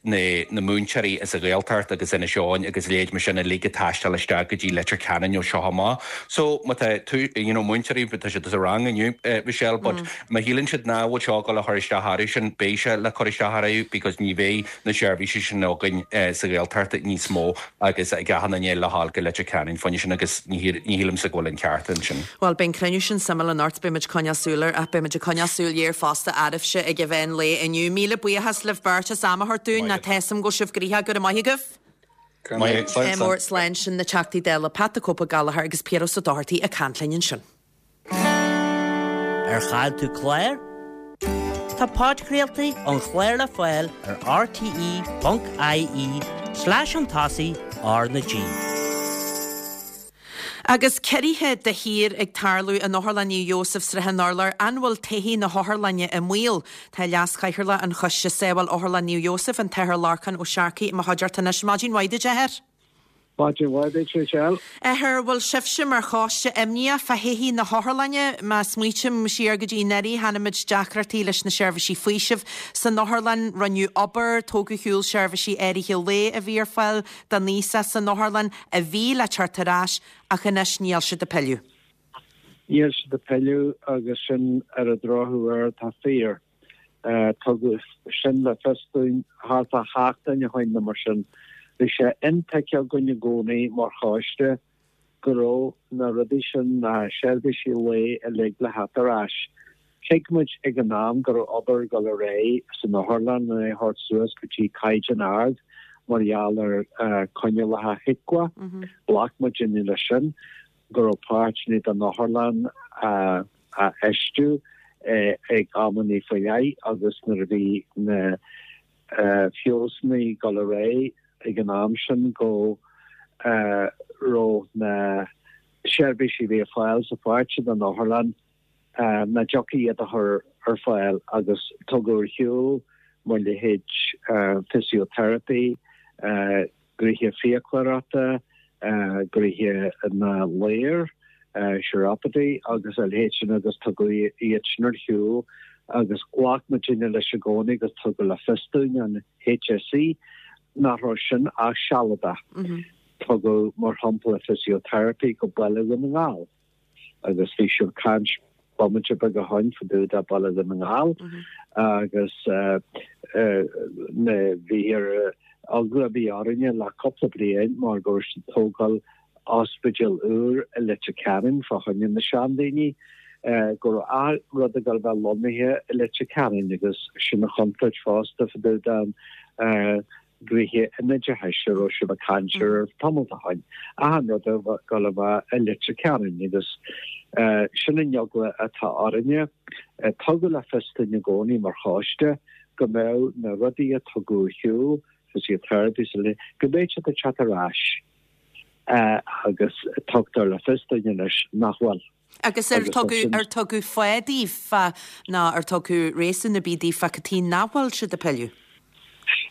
na múinteoirí as an Ghaeltacht agus Inis Eoghain agus a leithéid mar sin uilig ag taisteal isteach go dtí Leitir Ceanainn ó seo amach. So má tá tú, you know, múinteoirí, tá siad sa rang inniu, Michelle, but má shíleann siad nach bhfuil seo ag dul a chur isteach orthu sin, beidh sé le cur isteach orthu because ní bheidh na seirbhísí sin againn sa Ghaeltacht níos mó agus ag achan duine le dhul go Leitir Ceanainn fá choinne sin agus ní shílimse go bhfuil an ceart ansin. Bhuel, beidh an cruinniú sin suimiúil anocht, beidh muid ag coinneáil súil air ach beidh muid ag coinneáil súil air fosta oraibhse ag an mheán lae inniu. Míle buíochas libh beirt as am a thabhairt dúinn, tá a fhios agam go bhfuil sibh gnoitheach, go raibh maith agaibh. Go raibh maith agat. Mór slán sin na Teachtaí Dála Pat the Cope Ó Gallchóir agus Piaras Ó Dochartaigh ag caint linn ansin. Ar chaill tú clár? Tá podchraoltaí an chláir le fáil ar rte.ie slash chun tosaigh R na G. Agus ciorruithe de shíor ag tarlú in Otharlann Naomh Iósaf Srath an Urláir, an bhfuil todhchaí na hotharlainne i mbaol? Tá Leas-Chathaoirleach an Choiste Sábháil Otharlann Naomh Iósaf, an tAthair Lorcán Ó Searcaigh, i mo chuideachta anois. Maidin mhaith duit, a Athair. Maidin mhaith duit, Michelle. Athair, bhfuil sibhse mar choiste imníoch fá thodhchaí na hotharlainne? Má smaoitím siar go dtí anuraidh, chonaic muid deacrachtaí leis na seirbhísí faoisimh san otharlann, rinneadh obair, tógadh ar shiúl seirbhísí áirithe lae a bhí ar fáil don aosach san otharlann, a bhí le teacht ar ais, ach anois níl siad ag pilleadh. Níl siad ag pilleadh agus sin ar an drochuair atá fíor. Tugadh sin le fios dúinn thart fá sheachtain ó shoin nó mar sin. Bhí sé intuigthe againn i gcónaí mar choiste go raibh na rudaí sin, na seirbhísí lae uilig le theacht ar ais. Thuig muid ag an am go raibh obair ag dul ar aghaidh san otharlann lena é thabhairt suas go dtí caighdeán ard mar gheall ar coinníollacha HIQA. Ghlac muidinne leis sin. go raibh páirteanna den otharlann á fheistiú. ag amannaí faoi leith agus nuair a bhí na feabhsanna ag dul ar aghaidh ag an am sin go raibh na seirbhísí a bhí ar fáil sa pháirt sin den otharlann nach dtiocfaí iad a chur ar fáil agus tugadh ar shiúl mo leithéid physiotherapy, gnoithe fiaclóireachta, gnoithe na ladhar, chiropody agus a leithéid sin agus tugadh iad sin ar shiúl agus ghlac muidinne leis i gcónaí agus tugadh le fios dúinn an HSE nach raibh sin ach sealadach. Tugadh mar shampla physiotherapy go Baile Dhún na nGall. agus bhí sibh ag caint bomaite beag ó shoin fá dtaobh de Baile Dhún na nGall agus na bhí ar eagla a bhí orainne le cúpla bliain mar go raibh siad ag tógáil ospidéal úr i Leitir Ceanainn fá choinne na seandaoine go raibh achan rud ag dul a bheith lonnaithe i Leitir Ceanainn agus sin an chontúirt fosta fá dtaobh den gnoithe an oideachais a raibh sibh ag caint air tamall ó shoin, achan rud ag dul a bheith i Leitir Ceanainn agus sin an eagla atá orainne. Tugadh le fios dúinn i gcónaí mar choiste go mbeadh na rudaí a tugadh ar shiúl, physiotherapy is uile, go mbeadh siad ag teacht ar ais agus tugtar le fios dúinn anois nach bhfuil. Agus ar tugadh, ar tugadh fáth daoibh fá, nó ar tugadh réasún ar bith daoibh fá cad chuige nach bhfuil siad ag pilleadh?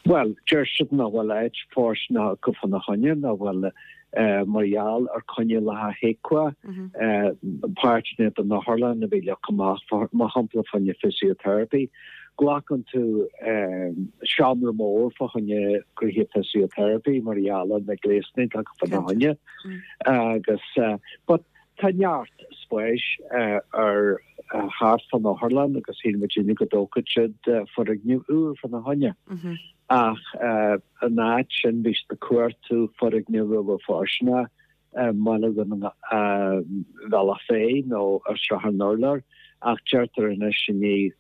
Bhuel, deir siad nach bhfuil áit fóirsteanach acu fána choinne, nach bhfuil mar gheall ar coinníollacha HIQA, páirteanna den otharlann a bhí leagtha amach, mar shampla fá choinne physiotherapy. Glacann tú seomra mór fá choinne gnoithe physiotherapy mar gheall ar na gléasanna atá acu fána choinne agus but Tá neart spáis ar thart fán otharlann agus shíl muidinne go dtógfadh siad foirgneamh úr fána choinne. Ach in áit sin bhí siad ag cuartú foirgneamh a bheadh fóirsteanach i mBaile Bhealach Féich nó ar Srath an Urláir ach deirtear anois i ndiaidh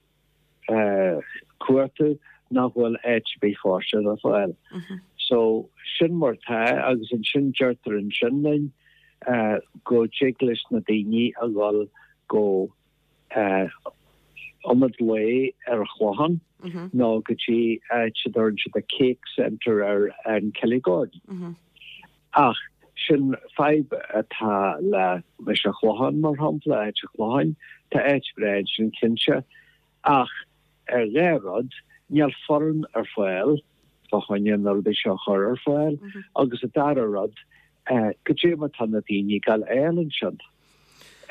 cuartú nach bhfuil áit ar bith fóirsteanach ar fáil. So sin mar atá agus ansin deirtear ansin linn go dtig leis na daoine a dhul go ionad lae ar an Chlochán nó go dtí áit a dtugann siad an Cake Centre ar an Killygordon. Ach sin fadhb atá le leis an Chlochán, mar shampla, áit an Chlocháin. Tá áit bhreá ansin cinnte, ach ar dhá rud, níl foireann ar fáil fá choinne na rudaí seo a chur ar fáil, agus an dara rud, goidé mar tá na daoine ag dul a fháil ansin.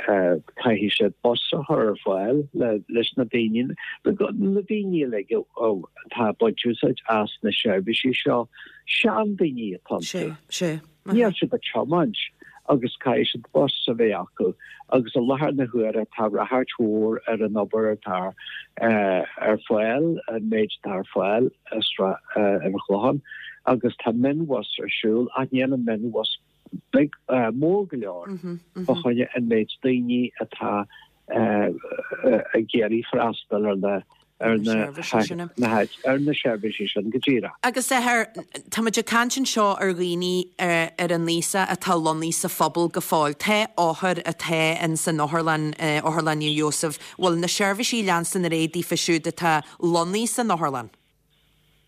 Caithfidh siad bus a chur ar fáil leis na daoine, na daoine uilig atá ag baint úsáid as na seirbhísí seo, seandaoine atá iontu. Níl siad ag tiomáint agus caithfidh siad bus a bheith acu agus i láthair na huaire tá ráchairt mhór ar an obair atá ar fáil, an méid atá ar fáil ar an Chlochán agus tá mionbhus ar siúl ach níl an mionbhus beag, mór go leor fá choinne an méid daoine atá ag iarraidh freastal ar na ar na ar na seirbhísí sin go díreach. Agus a Athair, tá muid ag caint anseo ar dhaoine ar an aois atá lonnaithe sa phobal go fóill. Tá othair atá in san otharlann, Otharlann Naomh Iósaf, bhfuil na seirbhísí leanstan ar aghaidh daofa siúd atá lonnaithe san otharlann?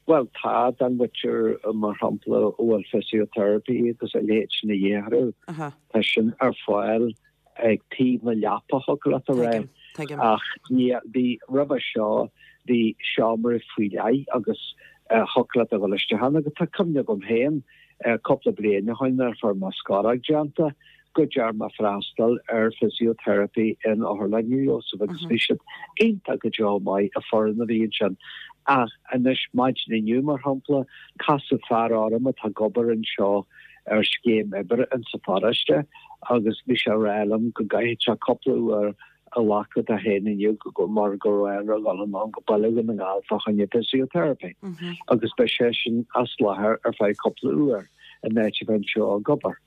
Bhuel, tá, don mhuintir, mar shampla, a bhfuil physiotherapy agus a leithéid sin a dhíth orthu, tá sin ar fáil ag taobh na leapa, thiocfadh leat a rá. Ach ní, bhí, roimhe seo, bhí seomra faoi leith agus thiocfadh leat a dhul isteach ann agus tá cuimhne agam féin cúpla bliain ó shoin nuair a fuair mé scoróg déanta, go dtearn mé freastal ar physiotherapy in Otharlann Naomh Iósaf agus bhí siad iontach go deo maith, an foireann a bhí ansin. Ach anois, maidin inniu, mar shampla, casadh fear orm atá ag obair anseo ar scéim oibre insa pharóiste agus bhí sé ag rá liom go gcaithfidh sé cúpla uair a ghlacadh dó féin inniu mar go raibh air a dhul anonn go Baile Dhún na nGall fá choinne physiotherapy agus beidh seisean as láthair ar feadh cúpla uair in áit a bheith anseo ag obair.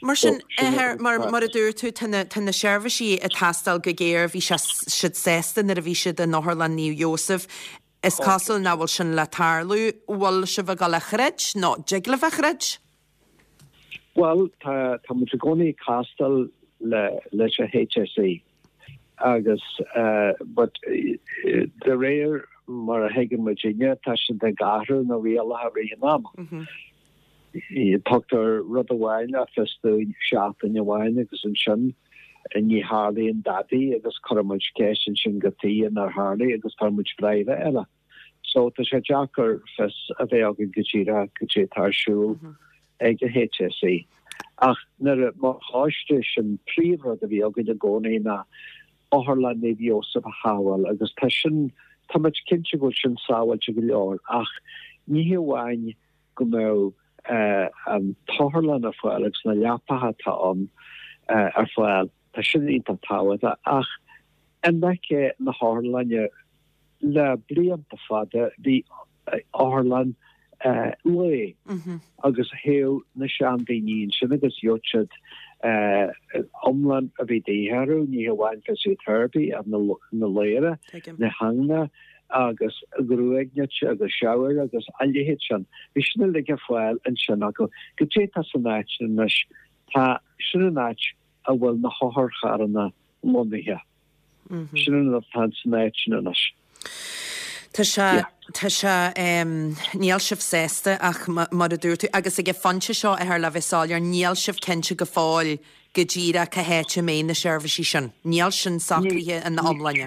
Mar sin, a Athair, mar a dúirt tú, tá na, tá na seirbhísí ag teastáil go géar, bhí sé, siad sásta nuair a bhí siad in Otharlann Naomh Iósaf. Is cosúil nach bhfuil sin le tarlú. Bhfuil sibh ag dul a throid nó dtig libh a throid? Bhuel, tá, tá muid i gcónaí ag castáil le, leis an HSE. Agus but de réir mar a thuigeann muidinne tá siad ag athrú na rialacha i rith an ama. Tugtar rud amháin le fios dúinn seachtain amháin agus ansin ní tharlaíonn dadaí agus cuireann muid ceist ansin cad chuige nár tharlaigh agus faigheann muid freagra eile. So tá sé deacair fios a bheith againn go díreach cad é atá ar siúl ag an HSE. Ach nuair a, mar choiste, sin príomhrud a bhí againn i gcónaí ná Otharlann Naomh Iósaf a shábháil agus tá sin, tá muid cinnte go bhfuil sin sábháilte go leor ach ní hé amháin go mbeadh an t-otharlann ar fáil agus na leapacha atá ann ar fáil, tá sin iontach tábhachtach ach in aice na hotharlainne le blianta fada bhí otharlann lae agus théadh na seandaoine ansin agus gheobhadh siad iomlán a bhí de dhíth orthu, ní hamháin physiotherapy ach na ladhra, na hingne agus gruaig nite agus shower agus a leithéid sin. Bhí sin uilig ar fáil ansin acu. Goidé atá san áit sin anois? Tá, sin an áit a bhfuil na hotharcharranna lonnaithe. Sin an rud atá san áit sin anois. Tá sé, tá sé, níl sibh sásta ach mar a dúirt tú, agus ag an phointe seo, a Athair, le bheith soiléir, níl sibh cinnte go fóill go díreach cá háit a mbeidh na seirbhísí sin. Níl sin socraithe ina iomláine.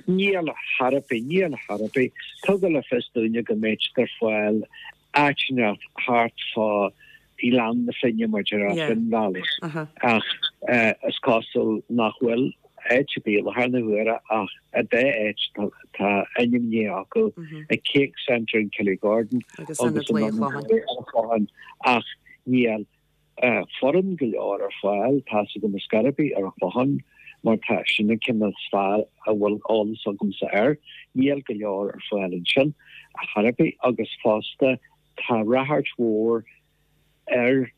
Níl chor ar bith, níl chor ar bith. Tugadh le fios dúinne go mbeidh siad ar fáil áit inteacht thart fá Ghleann na Finne, mar a déarfá, Finn Valley. Ach is cosúil nach bhfuil áit ar bith i láthair na huaire ach an dá áit tá ainmnithe acu, an Cake Centre in Killygordon agus Ionad Lae an Chlocháin. Ach níl foireann go leor ar fáil, tá's agam ar scor ar bith ar an Chlochán, mar tá sin an ceann is fearr a bhfuil eolas agamsa air, níl go leor ar fáil ansin ar chor ar bith agus fosta tá ráchairt mhór ar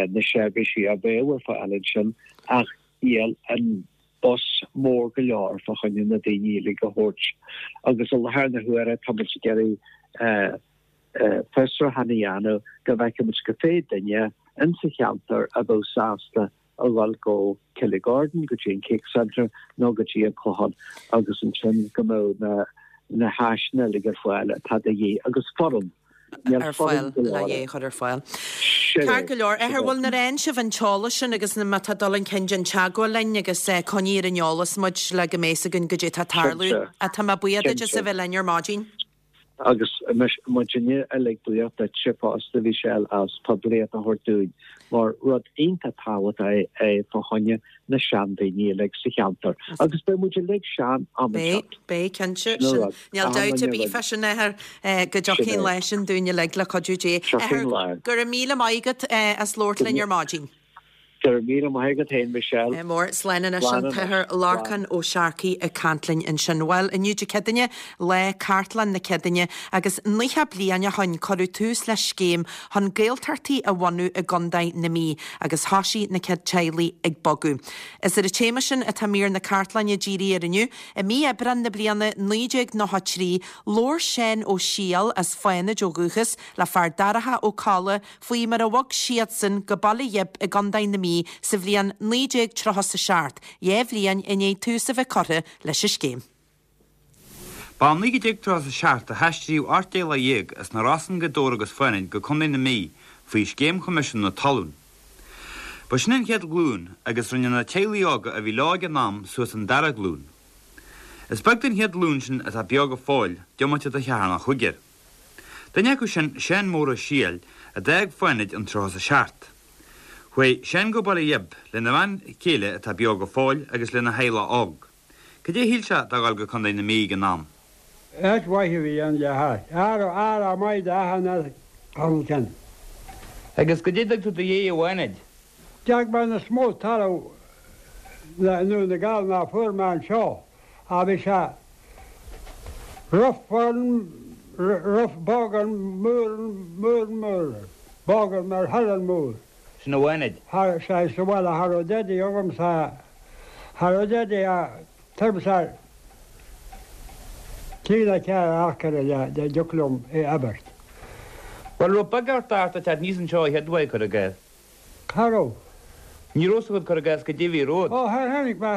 na seirbhísí a bheadh ar fáil ansin ach níl an bus mór go leor fá choinne na daoine uilig a thabhairt agus i láthair na huaire tá muid ag iarraidh fiosrúchán a dhéanamh go bhfeicfidh muid cé mhéad duine insa cheantar a bheadh sásta a dhul go Killygordon, go dtí an Cake Centre nó go dtí an Clochán agus ansin go mbeadh na na háiseanna uilig ar fáil atá de dhíth agus foireann. Níl ar fáil le é a chur ar fáil. Ceart go leor. A Athair, bhuel nuair a fhaigheann sibh an t-eolas sin agus má tá dul chun cinn déan teagmháil linn agus coinnigh ar an eolas muid le go mbeidh 'fhios againn goidé atá ag tarlú. Tá mé buíoch duit as a bheith linn ar maidin. Agus muidinne uilig buíoch duitse fosta, a Mhichelle, as poiblíocht a thabhairt dúinn, mar rud iontach tábhachtach é fá choinne na seandaoine uilig sa cheantar. Agus beidh muid uilig sean am inteacht. Beidh, beidh, cinnte. Sin rud. Níl dabht ar bith fá sin, a Athair, go dtiocfaidh an lá sin dúinn uilig le cuidiú Dé. Tiocfaidh an lá. Go raibh míle maith agat as labhairt linn ar maidin. Go raibh míle maith agat féin, Michelle. Ádh mór. Slán anois an tAthair Lorcán Ó Searcaigh ag caint linn ansin. Bhuel, inniu Dé Céadaoine, lá Cartlann na Céadaoine, agus 90 bliain ó shoin cuireadh tús le scéim chun Gaeltachtaí a bhunú i gContae na Mí, agus thoisigh na céad teaghlaigh ag bogadh. Is ar an téama sin atá mír na cartlainne dírithe air inniu. I mí Aibreáin na bliana 1993, labhair Seán Ó Siadhail, as Fánaid ó dhúchas, le fear Darach Ó Colla, faoi mar a bhog siadsan go Baile Ghib i gContae na Mí sa bhliain 1937, 2 bhliain i ndiaidh tús a bheith curtha leis an scéim. Ba i 1937 a haistríodh 18 teaghlach as na Rosann, Gaoth Dobhair agus Fánaid go Contae na Mí faoi Scéim Choimisiún na Talún. Ba sin an chéad ghlúin agus rinne na teaghlaigh óga a bhí leo ag an am suas an dara glúin. Is beag den chéad ghlúin sin atá beo go fóill, diomaite de cheathrar nó chúigear. Duine acu sin Seán Mór Ó Siadhail a d'fhág Fánaid in 37. Chuaigh Seán go Baile Ghib lena bhean chéile atá beo go fóill agus lena theaghlach óg. Cad é a shíl sé de dhul go Contae na Mí ag an am? Áit mhaith a bhí ann le hais. Fear maith do achan fhear ann. Agus goidé a d'fhág tú i do dhiaidh i bhFánaid? D'fhág mé níos mó talamh i nDún na nGall ná fuair mé anseo. Ach bhí sé rough an rough bog an moor moor moor bog an mar thar an moor. Sin i bhFánaid. Thar sé sa bhaile cha raibh dadaí agamsa cha raibh dadaí a tuairim is trí nó ceathair acre le dtiocfadh liom é abairt. Bhuel raibh beag ort ort a teacht aníos anseo a chéad uair, cuir i gcás. Cha raibh. Ní raibh 's agat cuir i gcás goidé a bhí romhat. Ó, tháinig mé,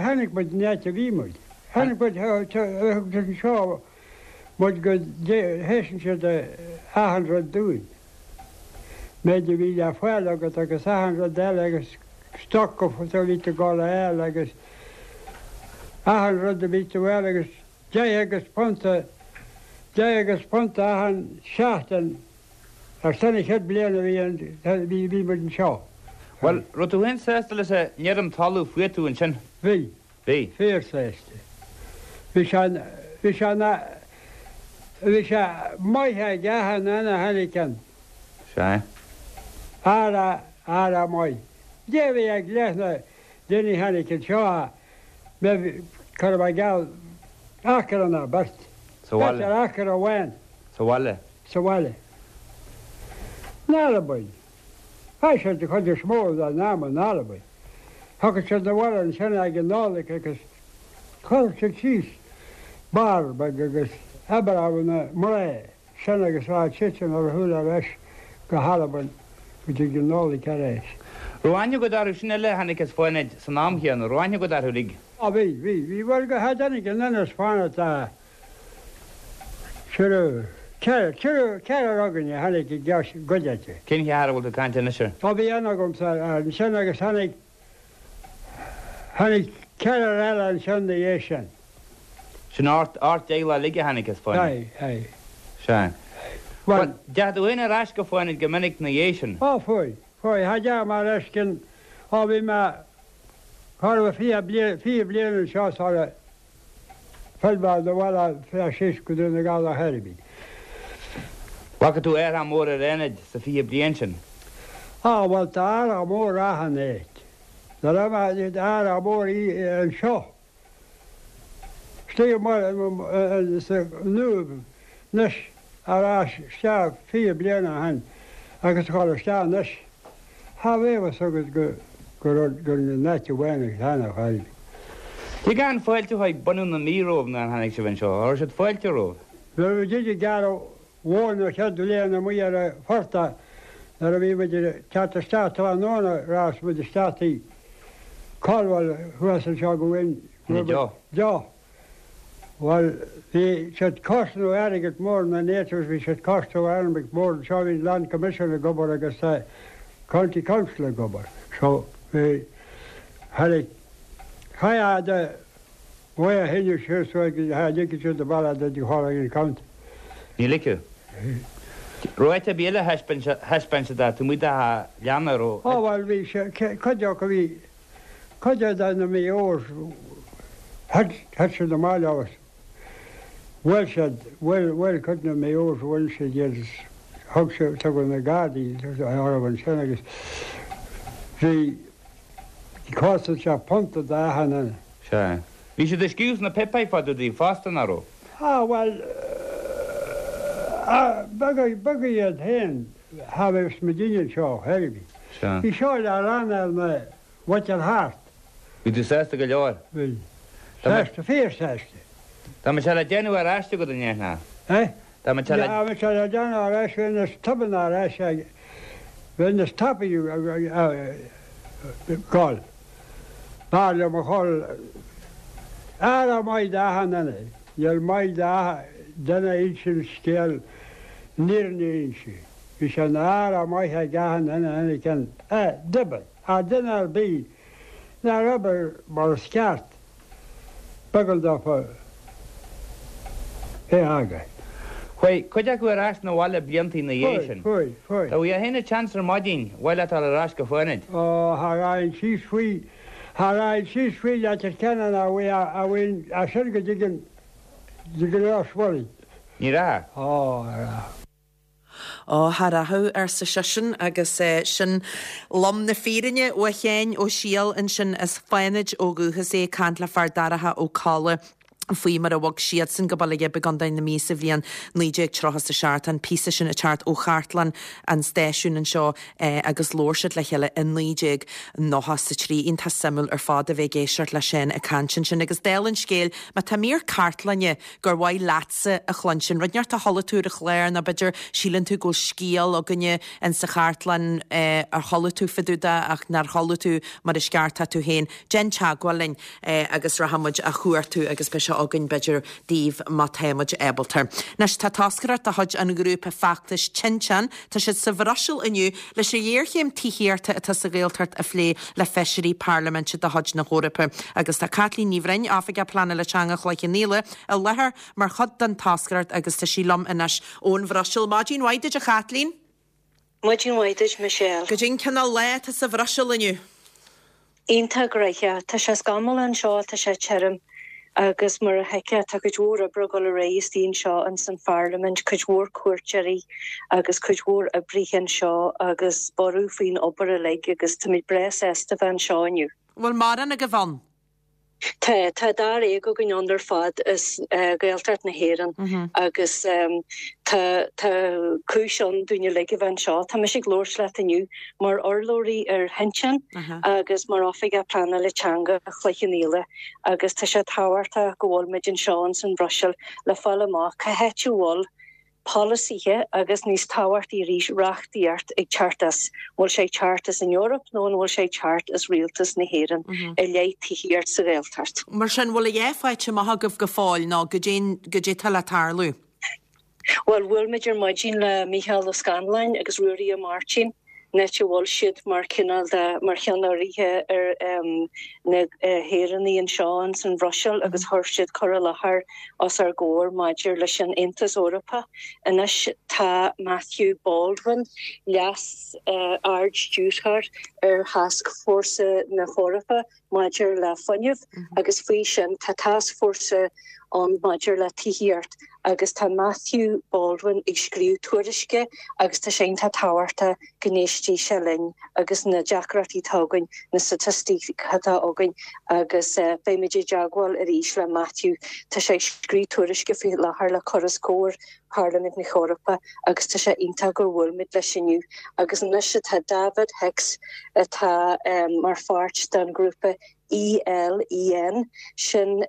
tháinig muid an áit a bhí muid. Tháinig muid anseo muid go thaispeáin siad achan rud dúinn. Méid a bhí le fáil agat agus achan rud eile agus stoc a bhí tú ag dul a fháil agus achan rud a bhí tú a fháil agus deich agus punta, deich agus punta achan seachtain ar son an chéad bliain a bhí an, bhí, bhí muid anseo. Bhuel, raibh tú féin sásta leis an fheirm talamh fuair tú ansin? Bhí. Bhí. Fíor-sásta. Bhí sé, bhí sé ina, bhí sé maith ag achan duine a tháinig ann. Sea. Ara, ara maith. Dé bhí ag leath na daoine a tháinig anseo a mbeidh, cuir i gceal, acra ná beirt. Sa bhaile. B'fhéidir acra amháin. Sa bhaile. Sa bhaile. In Albain. Chaith siad an chuid is mó dá n-am in Albain. Thiocfadh siad 'na bhaile ansin ag an Nollaig agus chuirfeadh siad síos barr beag agus oibreodh na mná sin agus rachadh siadsan ar a shiúl ar ais go hAlbain go dtí an Nollaig ar ais. Raibh aithne agat orthu sin eile a tháinig as Fánaid san am chéanna, raibh aithne agat orthu uilig? Á bhí, bhí, bhí, bhuel go tháinig an duine as Fánaid a Triúr, ceathrar, ceathrar againn a tháinig i gcuideachta. Cén cheathrar a bhfuil tú ag caint anois air? Ó bhí aithne agamsa ansin agus tháinig, tháinig ceathrar eile ansin 'na dhiaidh sin. Sin ocht, ocht dteaghlach uilig a tháinig as Fánaid? Aye, aye. Sea. Bhuel, deachaigh tú féin ar ais go Fánaid go minic 'na dhiaidh sin? Ó, fuaigh, fuaigh. Cha dteachaigh mé ar ais cionn, ó bhí mé, chóir a bheith 20 bliain, 20 bliain anseo sara, Phill mé 'na bhaile fé síos go Dún na nGall ar chor ar bith. Bhfaca tú athrach mór ar Fhánaid sa 20 bliain sin? Á, bhuel tá athrach mór achan áit. Nuair a bheidh athrach mór anseo, istigh amuigh sa nDúib anois ar ais isteach 20 bliain ó shin agus a chur isteach anois. Cha bheadh fhios agat go go raibh gur in áit amháin a cheannach fháil. Cé go an fáilte chuig bunadh na Mí romhaibh nuair a tháinig sibh anseo? An raibh siad fáilte romhaibh? Nuair a bhí muid ag gearradh mhóin an chéad bhliain amuigh ar an phortach nuair a bhí muid ag teacht isteach tráthnóna rachas muid isteach tigh Caldwell thuas anseo go bhfuil deoch. Bhuel, bhí siad cosnamh airgead mór na natives, bhí siad cosnamh airgead mór anseo, bhí Land Commission ag obair agus County Council ag obair. So, bhí, tháinig, chaith de mhaith a shíneadh siar so ag, cha ligfeadh siad an baile do chur ag an county. Ní ligfeadh. Raibh áit ar bith eile a thaispeáin, thaispeáin siad taobh amuigh de leanna, raibh? Ó bhuel, bhí sé, cuid acu bhí, Cuid de na Mayo's thit siad amach leo agus bhuail siad, bhuail, bhuail cuid de na Mayo's, bhuail siad iad is thug siad, tugadh na Gardaí orthu ansin agus bhí, chosain sé punta d'achan duine. Sea. Bhí siad ag scríobh sna páipéir fá dtaobh daoibh fosta, nach raibh? Ah, bhuel, ah, beaga, beaga iad féin, cha bheadh muidinne anseo ar chor ar bith. Sea. Bhí seo le rannán na mhuintir thart. Bhí tú sásta go leor? Bhí. Sásta, fíor-sásta. Dá mbeadh sé le déanamh ar ais agat, an ndéanfá? Eh? Dá mbeadh sé le. Dá mbeadh sé le déanamh ar ais, bheinn níos tobann ar ais, bheinn níos tapaidh ag gol. B'fhearr liom a dhul ara maith d'achan duine. Níl maith duine a insint scéal an fhírinne a inse. Bhí sé ina fhear maith ag achan duine a tháinig ann. Eh, d'oibir. Ach duine ar bith nár oibir mar is ceart, b'éigean dófa é a fhágáil. Chuaigh cuid acu ar ais 'na bhaile blianta ina dhiaidh sin. Chuaigh, chuaigh, chuaigh. Dá bhfaighfeá féin an seans ar maidin, mhaith leat dul ar ais go Fánaid? Ó, cha raghainn síos faoi, cha raghainn síos faoi Leitir Ceanainn a bhí, a bhí, as sin go dtig an, dtig an Ros Mhuirí. Ní rachfá? Ó, cha rachadh. Ó, cha rachadh, arsa seisean, agus sin lom na fírinne uaidh Sheáin Ó Siadhail ansin as Fánaid ó dhúchas é ag caint le Fear Darach Ó Colla. Faoi mar a bhog siadsan go Baile Ghib i gContae na Mí sa bhliain 1937. Tá an píosa sin ag teacht ó chartlann an stáisiúin anseo agus labhair siad le chéile i 1993. Iontach suimiúil ar fad a bheith ag éisteacht le Seán ag caint ansin. Agus dála an scéil, má tá mír cartlainne gur mhaith leatsa a chluinstin, rud inteacht a chuala tú ar an chlár nó b'fhéidir síleann tú go bhfuil scéal againne in sa chartlann ar chuala tú fá dtaobh de ach nár chuala tú mar is ceart tá tú féin, déan teagmháil linn. agus rachaidh muid á chuartú agus beidh sé againn, b'fhéidir, daoibh má tá muid ábalta. Anois, tá toscaireacht de chuid an ghrúpa feachtais Tinteán, tá siad sa Bhruiséil inniu leis an ghéarchéim tithíochta atá sa Ghaeltacht a phlé le feisirí parlaiminte de chuid na hEorpa. Agus tá Caitlín Ní Bhroin, Oifigeach Pleanála Teanga Chloich Cheann Fhaola, i láthair mar chuid den toscaireacht agus tá sí liom anois ón Bhruiséil. Maidin mhaith duit, a Chaitlín. Maidin mhaith duit, Michelle. Goidé an cineál lá atá sa Bhruiséil inniu? Iontach gnoitheach. Tá sé scamallach anseo, tá sé tirim agus mar a thuigfeá tá cuid mhór oibre ag dul ar aghaidh istigh anseo ins an Pharlaimint, cuid mhór cuairteoirí agus cuid mhór oibrithe anseo agus borradh faoin obair uilig agus táimid breá sásta bheith anseo inniu. Bhfuil mórán agaibh ann? Tá, tá dáréag againn ann ar fad as Gaeltacht na hÉireann agus tá, tá cúis ann dúinn uilig a bheith anseo. Tá mise ag labhairt leat inniu mar urlabhraí ar Thinteán agus mar Oifigeach Pleanála Teanga Chloich Cheann Fhaola agus tá sé tábhachtach go bhfuil muid anseo ins an Bhruiséil le fáil amach cá háit a bhfuil polasaithe agus, níos tábhachtaí arís, reachtaíocht ag teacht as, an bhfuil sé ag teacht as an Eoraip nó an bhfuil sé ag teacht as Rialtas na hÉireann i leith tithíocht sa Ghaeltacht. Mar sin, bhfuil a dhath faighte amach agaibh go fóill nó goidé, goidé tá le tarlú? Bhuel, bhuail muid ar maidin le Mícheál Ó Scanláin agus Ruairí Ó Máirtín. an áit a bhfuil siad mar chineál de, mar cheannairithe ar na hÉireannaigh anseo ins an Bhruiséil agus chuir siad cur i láthair os ár gcomhair maidir leis an Aontas Eorpach. Anois tá Matthew Baldwin, Leas Ard-Stiúrthóir ar Thascfhórsa na hEorpa, maidir le fuinneamh agus faoi sin tá tascfhórsa ann maidir le tithíocht agus tá Matthew Baldwin ag scríobh tuairisce agus tá sé iontach tábhachtach go n-éistfidh sé linn agus na deacrachtaí atá againn, na staitisticí atá againn agus beimid i dteagmháil arís le Matthew. Tá sé ag scríobh tuairisce faoi láthair le cur os comhair Pharlaimint na hEorpa agus tá sé iontach gur bhuail muid leis inniu. Agus anois tá David Hicks atá mar pháirt den ghrúpa ELEN, sin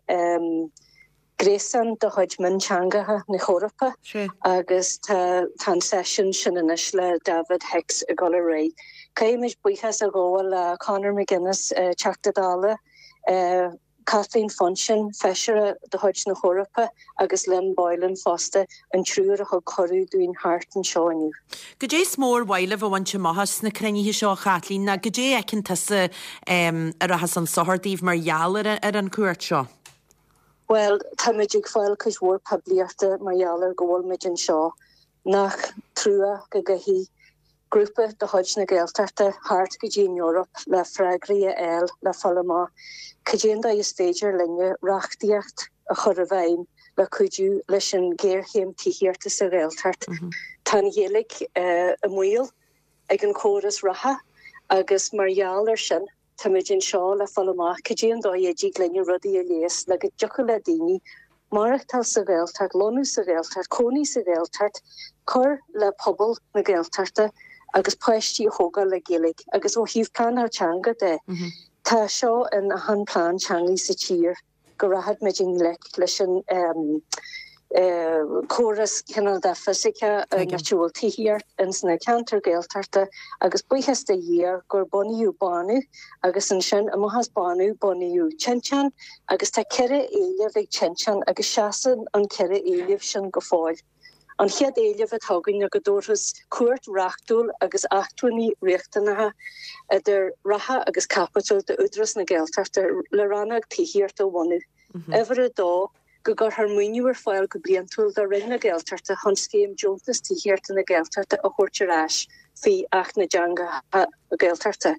gréasán de chuid mionteangacha na hEorpa agus tá an seisiún sin anois le David Hicks ag dul ar aghaidh. Caithfimid buíochas a ghabháil le Conor McGuinness, Teachta Dála, Kathleen Funchion, Feisire de chuid na hEorpa agus Lynn Boylan fosta, an triúr a thug cuireadh dúinn theacht anseo inniu. Goidé is mó ar mhaith libh a bhaint amach as na cruinnithe seo, a Chaitlín, nó goidé a fheiceann tusa a rachas chun sochair daoibh mar gheall ar an chuairt seo? Bhuel, táimid ag fáil cuid mhór poiblíochta mar gheall ar go bhfuil muid anseo. Nach trua go gcaithfidh grúpa de chuid na Gaeltachta theacht go dtí an Eoraip le freagraí a fháil le fáil amach cad é an dóigh is féidir linne reachtaíocht a chur i bhfeidhm le cuidiú leis an ghéarchéim tithíochta sa Ghaeltacht. Tá an Ghaeilge i mbaol ag an chóras reatha agus mar gheall air sin, Táimid anseo le fáil amach cad é an dóigh a dtig linne rudaí a leigheas le go dtiocfadh le daoine maireachtáil sa Ghaeltacht, lonnú sa Ghaeltacht, cónaí sa Ghaeltacht, cur le pobal na Gaeltachta agus páistí a thógáil le Gaeilge. Agus ó thaobh pleanáil teanga de, tá seo in achan plean teanga sa tír. go rachaidh muid i ngleic leis an córas cineál de fisiceach an áit a bhfuil tithíocht ins na ceantair Gaeltachta agus buíochas do Dhia gur bunaíodh Bánú agus ansin amach as Bánú bunaíodh Tinteán agus tá 4 éileamh ag Tinteán agus seasann an 4 éileamh sin go fóill. An chéad éileamh atá againn ná go dtabharfas cumhacht reachtúil agus acmhainní riachtanacha, idir reatha agus caipitil, d'Údarás na Gaeltachta le rannóg tithíochta a bhunú. Uimhir a dó, go gcuirfear maoiniú ar fáil go bliantúil do Roinn na Gaeltachta chun scéim Deontas Tithíochta na Gaeltachta a thabhairt ar ais faoi Acht na dTeangacha Gaeltachta.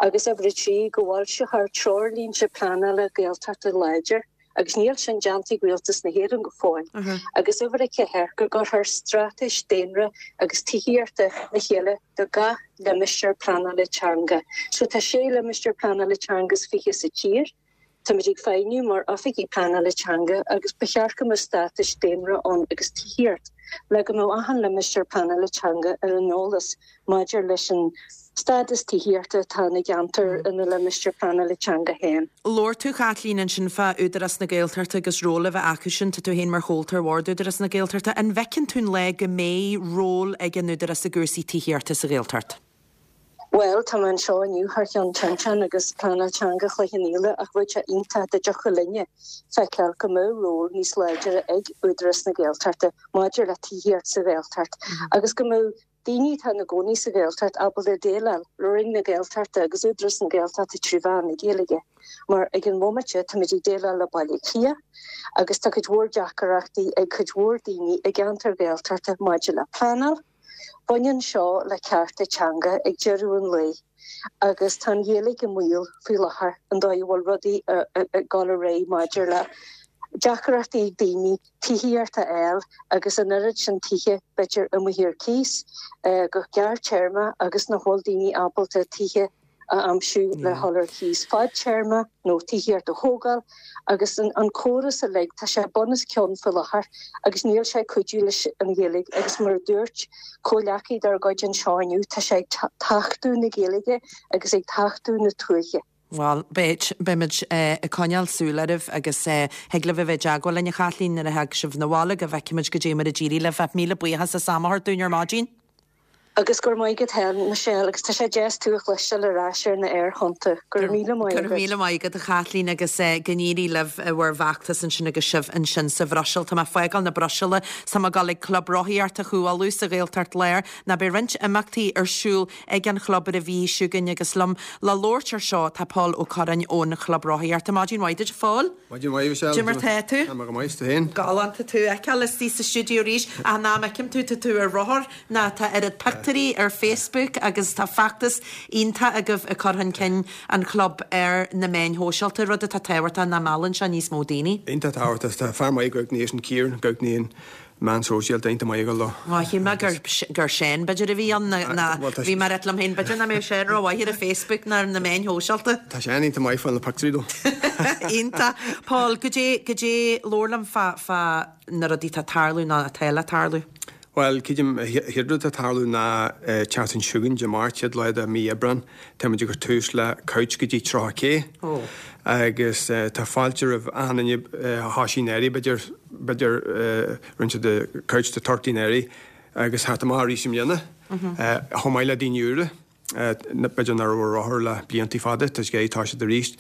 Agus uimhir a trí, go bhfoilseofar treoirlínte pleanála Gaeltachta láidir. agus níl sin déanta ag Rialtas na hÉireann go fóill, agus uimhir a ceathair, go gcuirfear straitéis daonra agus tithíochta le chéile do gach limistéar pleanála teanga. So tá sé limistéar pleanála teanga is 20 sa tír. Táimid ag feidhmiú mar oifigigh pleanála teanga agus ba cheart go mbeadh státais daonra ann agus tithíocht le go mbeadh achan limistéar pleanála teanga ar an eolas maidir leis an stádas tithíochta atá ina gceantar ina limistéar pleanála teanga féin. Labhair tú, a Chaitlín, ansin fá Údarás na Gaeltachta agus ról a bheith acu sin. Tá tú féin mar chomhalta ar bhord Údarás na Gaeltachta. An bhfeiceann tú an lá go mbeidh ról ag an Údarás i gcúrsaí tithíochta sa Ghaeltacht? Bhuel, tá mé anseo inniu thar cheann Tinteán agus Pleanáil Teanga Chloich Cheann Fhaola ach bheadh sé iontach dá dtiocfadh linne feiceáil go mbeadh ról níos láidre ag Údarás na Gaeltachta maidir le tithíocht sa Ghaeltacht agus go mbeadh daoine atá ina gcónaí sa Ghaeltacht ábalta déileáil le Roinn na Gaeltachta agus Údarás na Gaeltachta trí mheán na Gaeilge mar ag an bhomaite táimid ag déileáil le Baile Átha Cliath agus tá cuid mhór deacaireachtaí ag cuid mhór daoine i gceantair Ghaeltachta maidir le pleanáil. Baineann seo le cearta teanga ag deireadh an lae agus tá an Ghaeilge i mbaol faoi láthair an dóigh a bhfuil rudaí ag dul ar aghaidh maidir le deacaireachtaí ag daoine tithíocht a fháil agus an oiread sin tithe b'fhéidir amuigh ar cíos go gearrtéarma agus nach bhfuil daoine ábalta tithe a aimsiú le dhul ar cíos fadtéarma nó tithíocht a thógáil agus an córas uilig, tá sé bun os cionn faoi láthair agus níl sé ag cuidiú leis an Ghaeilge agus mar a dúirt comhghleacaí dár gcuid anseo inniu, tá sé ag tachtadh na Gaeilge agus ag tachtadh na tuaithe. Bhuel, beidh, beimid ag coinneáil súil oraibh agus thig libh a bheith i dteagmháil linn a Chaitlín nuair a thig sibh 'na bhaile go bhfeicfimid goidé mar a d'éirigh libh. Ach míle buíochas as am a thabhairt dúinn ar maidin. Agus go raibh maith agat féin, Michelle, agus tá sé deas tú a chloisteáil ar ais ar na aerthonnta. Go raibh míle maith agat. Go raibh míle maith agat, a Chaitlín, agus go n-éirí libh i bhur bhfeachtas ansin agus sibh ansin sa Bhruiséil. Tá mé ag fágáil na Bruiséile 's tá mé ag dul ag Club Rothaíochta Chú Uladh sa Ghaeltacht Láir. Ná beidh roinnt imeachtaí ar siúl ag an chlub ar an mhí seo chugainn agus liom le labhairt ar seo tá Pól Ó Curráin ón Chlub Rothaíochta. Maidin mhaith duit, a Phóil. Maidin mhaith, Michelle. Cad é mar tá tú? Tá mé go maith, is tú féin? Galánta tú a fheiceáil istigh sa stiúideo arís. Ach an am a fheicim tú, tá tú ar rothar ná tá oiread pictiúirí ar Facebook agus tá feachtas iontach agaibh ag cur chun cinn an chlub ar na meáin shóisialta, rud atá tábhachtach ná meallann sé níos mó daoine. Iontach tábhachtach. Tá fear maith ag gabháil ansin, Ciarán, ag gabháil meáin shóisialta iontach maith ag dul dó. Ó, shíl mé gur, gur Seán b'fhéidir a bhí ann ná, ná, bhí mé ag rá liom féin, b'fhéidir nach mbeadh Seán rómhaith ar an Facebook ná ar na meáin shóisialta. Tá Seán iontach maith fá na pictiúirí dó. Iontach. Paul, goidé, goidé, labhair liom fá, fá na rudaí atá ag tarlú ná atá le tarlú. Bhuel, creidim, an chéad rud atá ag tarlú ná tseachtain seo chugainn, Dé Máirt, chéad lá de mí Aibreán, táimid ag cur tús le Couch go dtí 30 K. Ó. Agus tá fáilte roimh achan duine a thoisigh anuraidh, b'fhéidir, b'fhéidir rinne siad the Couch to 30 anuraidh agus theacht amach arís i mbliana, chomh maith le daoine úra, b'fhéidir nach raibh ar rothar le bliantaí fada, tá siad ag iarraidh toiseacht arís,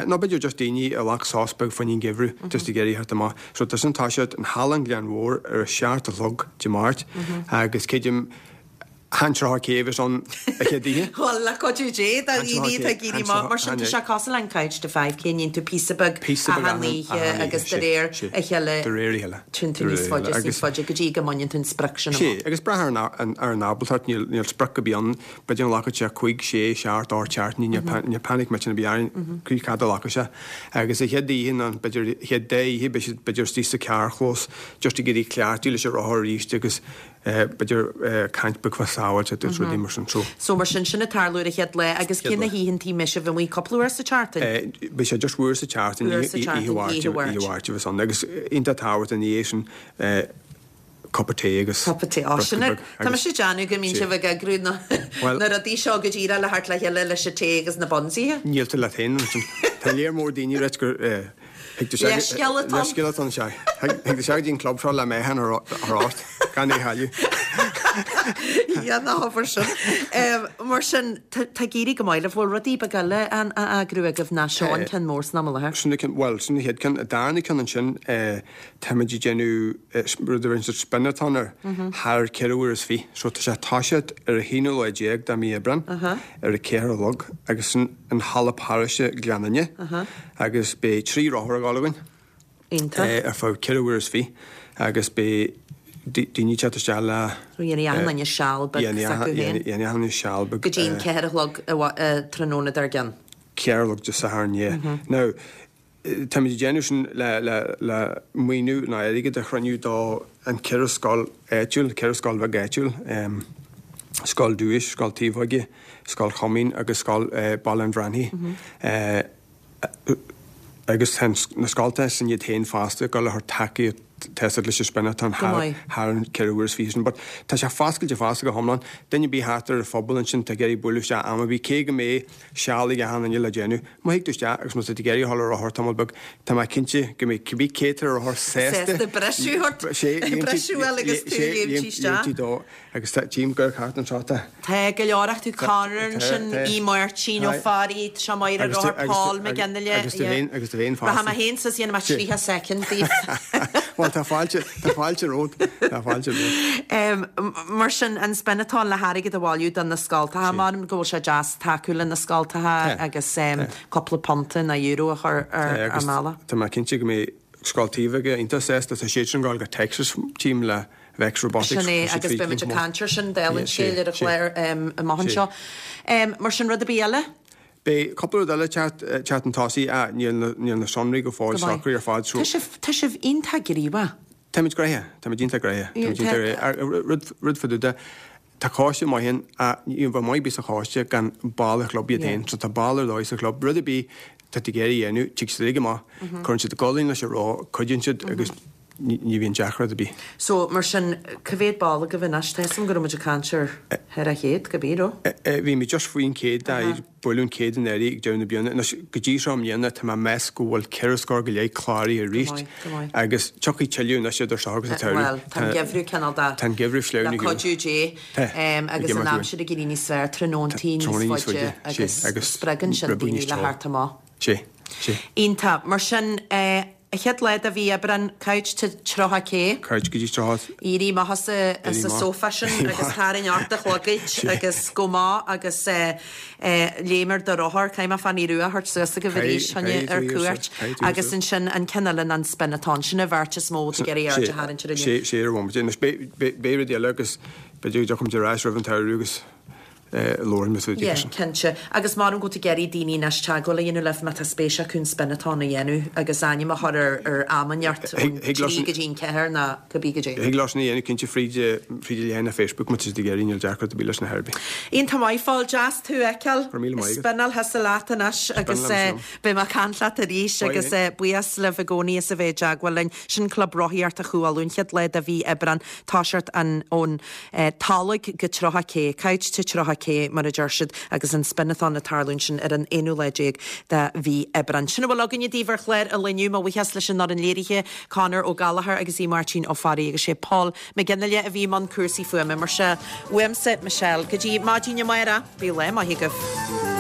nó b'fhéidir just daoine a ghlac sos beag fá choinne an gheimhreadh, just ag iarraidh theacht amach. So tá sin ag toiseacht in Halla an Ghleann Mhóir ar a seacht a chlog Dé Máirt agus creidim, Chan 30 K a bheas ann an chéad oíche. Bhuel, le cuidiú Dé, do dhaoine atá ag éirí amach mar sin, tá sé cosúil le an Couch to 5K, níonn tú píosa beag achan oíche agus de réir a chéile téann tú níos faide is níos faide go dtí go mbaineann tú an sprioc sin amach. Sea, agus brath ar an ábaltacht, níl sprioc ar bith ann, b'fhéidir go nglacfadh sé cúig, sé, seacht, ocht seachtainí, níl panic millteach ar bith orainn, cad fhad a ghlacfaidh sé. Agus an chéad oíche nó b'fhéidir an chéad dá oíche, beidh siad b'fhéidir istigh sa carrchlós, just ag iarraidh cleachtadh leis an rothar arís agus b'fhéidir caint beag fá sábháilteacht agus rudaí mar sin. So. So mar sin, sin ag tarlú ar an chéad lá agus cé na hoícheantaí a mbeidh sibh amuigh cúpla uair sa tseachtain? Beidh sé just uair sa tseachtain, Uair sa tseachtain, oíche Mháirt, oíche Mháirt. oíche Mháirt a bheas ann agus iontach tábhachtach ina dhiaidh sin cupa tae agus Cupa tae, ó briosca sin beag tá mise ag déanamh go mbíonn Sea. sibh ag eagrú na Bhuel. na rudaí seo go díreach le theacht le chéile leis an tae agus na buns-ithe. Níl tú leat féin ansin. Tá léar mór daoine ag ráit gur Leithscéal atá ann. Leithscéal atá ann, sea. Thig tú isteach go dtí an club seo le meáchan a thabhairt ort, gan é a chailleadh. Yeah, ná habair sin. Mar sin, tá ag éirí go maith libh. Bhfuil rudaí beaga eile á eagrú agaibh ná seo an ceann mór san am i láthair? Sin an ceann, bhuel, sin an chéad ceann. An darna ceann ansin, táimid ag déanamh rud a bheireann siad spin-a-thon air, thar 24 uair. So tá sé ag toiseacht ar an haonú lá déag de mí Aibreán, ar a ceathair a chlog, agus sin in Halla Paróiste Ghleann Fhinne agus beidh 3 rothar ag dul againn ar feadh 24 uair agus beidh daoine ag teacht isteach le. Dhéanfaidh achan duine seal beag s'acu féin. Dhéanfaidh achan duine seal beag. Go dtí an 4 a chlog tráthnóna dár gcionn. 4 a chlog Dé Sathairn, yeah. Now, Táimid ag déanamh sin le maoiniú nó airgead a chruinniú do an cheithre scoil áitiúil, ceithre scoil bheag áitiúil, Scoil Dúiche, Scoil Taobhóige, Scoil Choimín agus Scoil Baile an Bhranaigh. Agus tá na scoltacha sin iad féin fosta ag dul a chur tacaíocht tá leis an spin-a-thon thar thar an 24 uair sin. But tá sé foscailte fosta go hiomlán. Duine ar bith thart ar an phobal ansin atá ag iarraidh bualadh isteach am ar bith, cé go mbeidh seal ag achan duine le déanamh. Má thig tú isteach agus má tá tú ag iarraidh a dhul ar rothar tamall beag, tá mé cinnte go mbeidh cibé cé atá ar rothar sásta Sásta briseadh ort, briseadh uail agus tú ag léimt isteach. Léimtí dó. Agus tá, tchím gur thart anseo tá. Tá go leor acu, Conor ansin, Aodh Máirtín Ó Fearraigh, tá sé maith ar rothar, Paul McGinley. Agus tú féin, agus tú féin fosta. Rachaidh mé féin suas, dhéanfaidh mé 30 soicind daoibh. Bhuel, tá fáilte, tá fáilte romhat, tá fáilte romhat. Mar sin, an spin-a-thon le hairgead a bhailiú do na scoltacha, measaim go bhfuil sé deas tacú le na scoltacha agus cúpla punta nó euro a chur ar an mbealach. Tá mé cinnte go mbeidh Scoil Taoibh Aige iontach sásta, tá siadsan ag gabháil go Texas, tchím le Vex Robotics. Sin é, agus beimid ag caint air sin, dála an scéil, ar an chlár amach anseo. Mar sin, rud ar bith eile? Beidh cúpla rud eile ag teacht chun tosaigh, ach níl níl na sonraí go fóill socraithe ar fad so. Tá sibh, tá sibh iontach gníomhach. Táimid gnoitheach, táimid iontach gnoitheach, táimid iontach gnoitheach. Rud, rud fá dtaobh de, tá coiste maith ann, ach ní bheadh maith ar bith sa choiste gan baill an chlub iad féin. So tá baill ar dóigh sa chlub. Rud ar bith atá tú ag iarraidh a dhéanamh, tig siad uilig amach, cuireann siad a gcolainn leis an roth, cuidíonn siad agus ní bhíonn deacracht ar bith. So, mar sin, cá mhéad ball agaibh anois? Tá 'fhios a'm go raibh muid ag caint ar thar a chéad, cibé, raibh? Bhí muid just faoin chéad, ag bualadh an chéad anuraidh ag deireadh na bliana. Anois, go dtí seo i mbliana, tá mé ag meas go bhfuil ceithre scór go leith cláraithe arís. Go maith, go maith. Agus tiocfaidh tuilleadh anois idir seo agus an tsamhradh. Bhuel, tá an geimhreadh cineál de. Tá an geimhreadh sleamhnaithe. Le cuidiú Dé. Agus an aimsir ag éirí níos fearr, tráthnóntaí níos faide agus spreagann sin daoine le theacht amach. Sea, sea. Iontach. Mar sin, an chéad lá de mhí Aibreáin, couch to 30K. Couch go dtí 30. Éirí amach as an sofa sin agus tarraing ort do chlogaid agus gabh amach agus léim ar do rothar. Caithfidh mé Fanny Rua a thabhairt suas agaibh arís, choinne ar cuairt. Agus ansin an ceann eile ná an spin-a-thon. Sin an bheirt is mó atá ag iarraidh aird a tharraingt air inniu. Sea, ar bhomaite. Anois beidh rudaí eile agus b'fhéidir go dtiocfaimid ar ais roimh an tsamhradh agus. labhróidh muid faoi Yeah, sin. cinnte. Agus maram go bhfuil tú ag iarraidh daoine anois teagmháil a dhéanamh libh má tá spéis acu an spin-a-thon a dhéanamh agus ainm a chur ar ar am inteacht ón Thig leis 3 go dtí an 4 nó cibé goidé. Thig leo sin a dhéanamh cinnte fríd fríd an leathanach Facebook má tá siad ag iarraidh, níl deacracht ar bith leis na ar bith. Iontach maith, Phól, deas tú a fheiceáil. Go raibh míle maith agat. Spinneáil thusa leat anois agus Spinneáil liom. beidh mé ag caint leat arís agus buíochas libh i gcónaí as a bheith i dteagmháil linn. Sin Club Rothaíochta Chú Uladh an chéad lá de mhí Aibreán, toiseacht an ón Tolg go 30 K, Couch to 30 K mar a deir siad, agus an spin-a-thon ag tarlú ansin ar an aonú lá déag de mhí Aibreán. Sin a bhfuil againne daoibh ar chlár an lae inniu. Mo bhuíochas leis an fhoireann léirithe, Conor Ó Gallchóir agus Aodh Máirtín Ó Fearraigh agus sé Paul McGinley a bhí i mbun cúrsaí fuaime. Mar sin, uaimse, Michelle, go dtí maidin amárach, bíodh lá maith agaibh.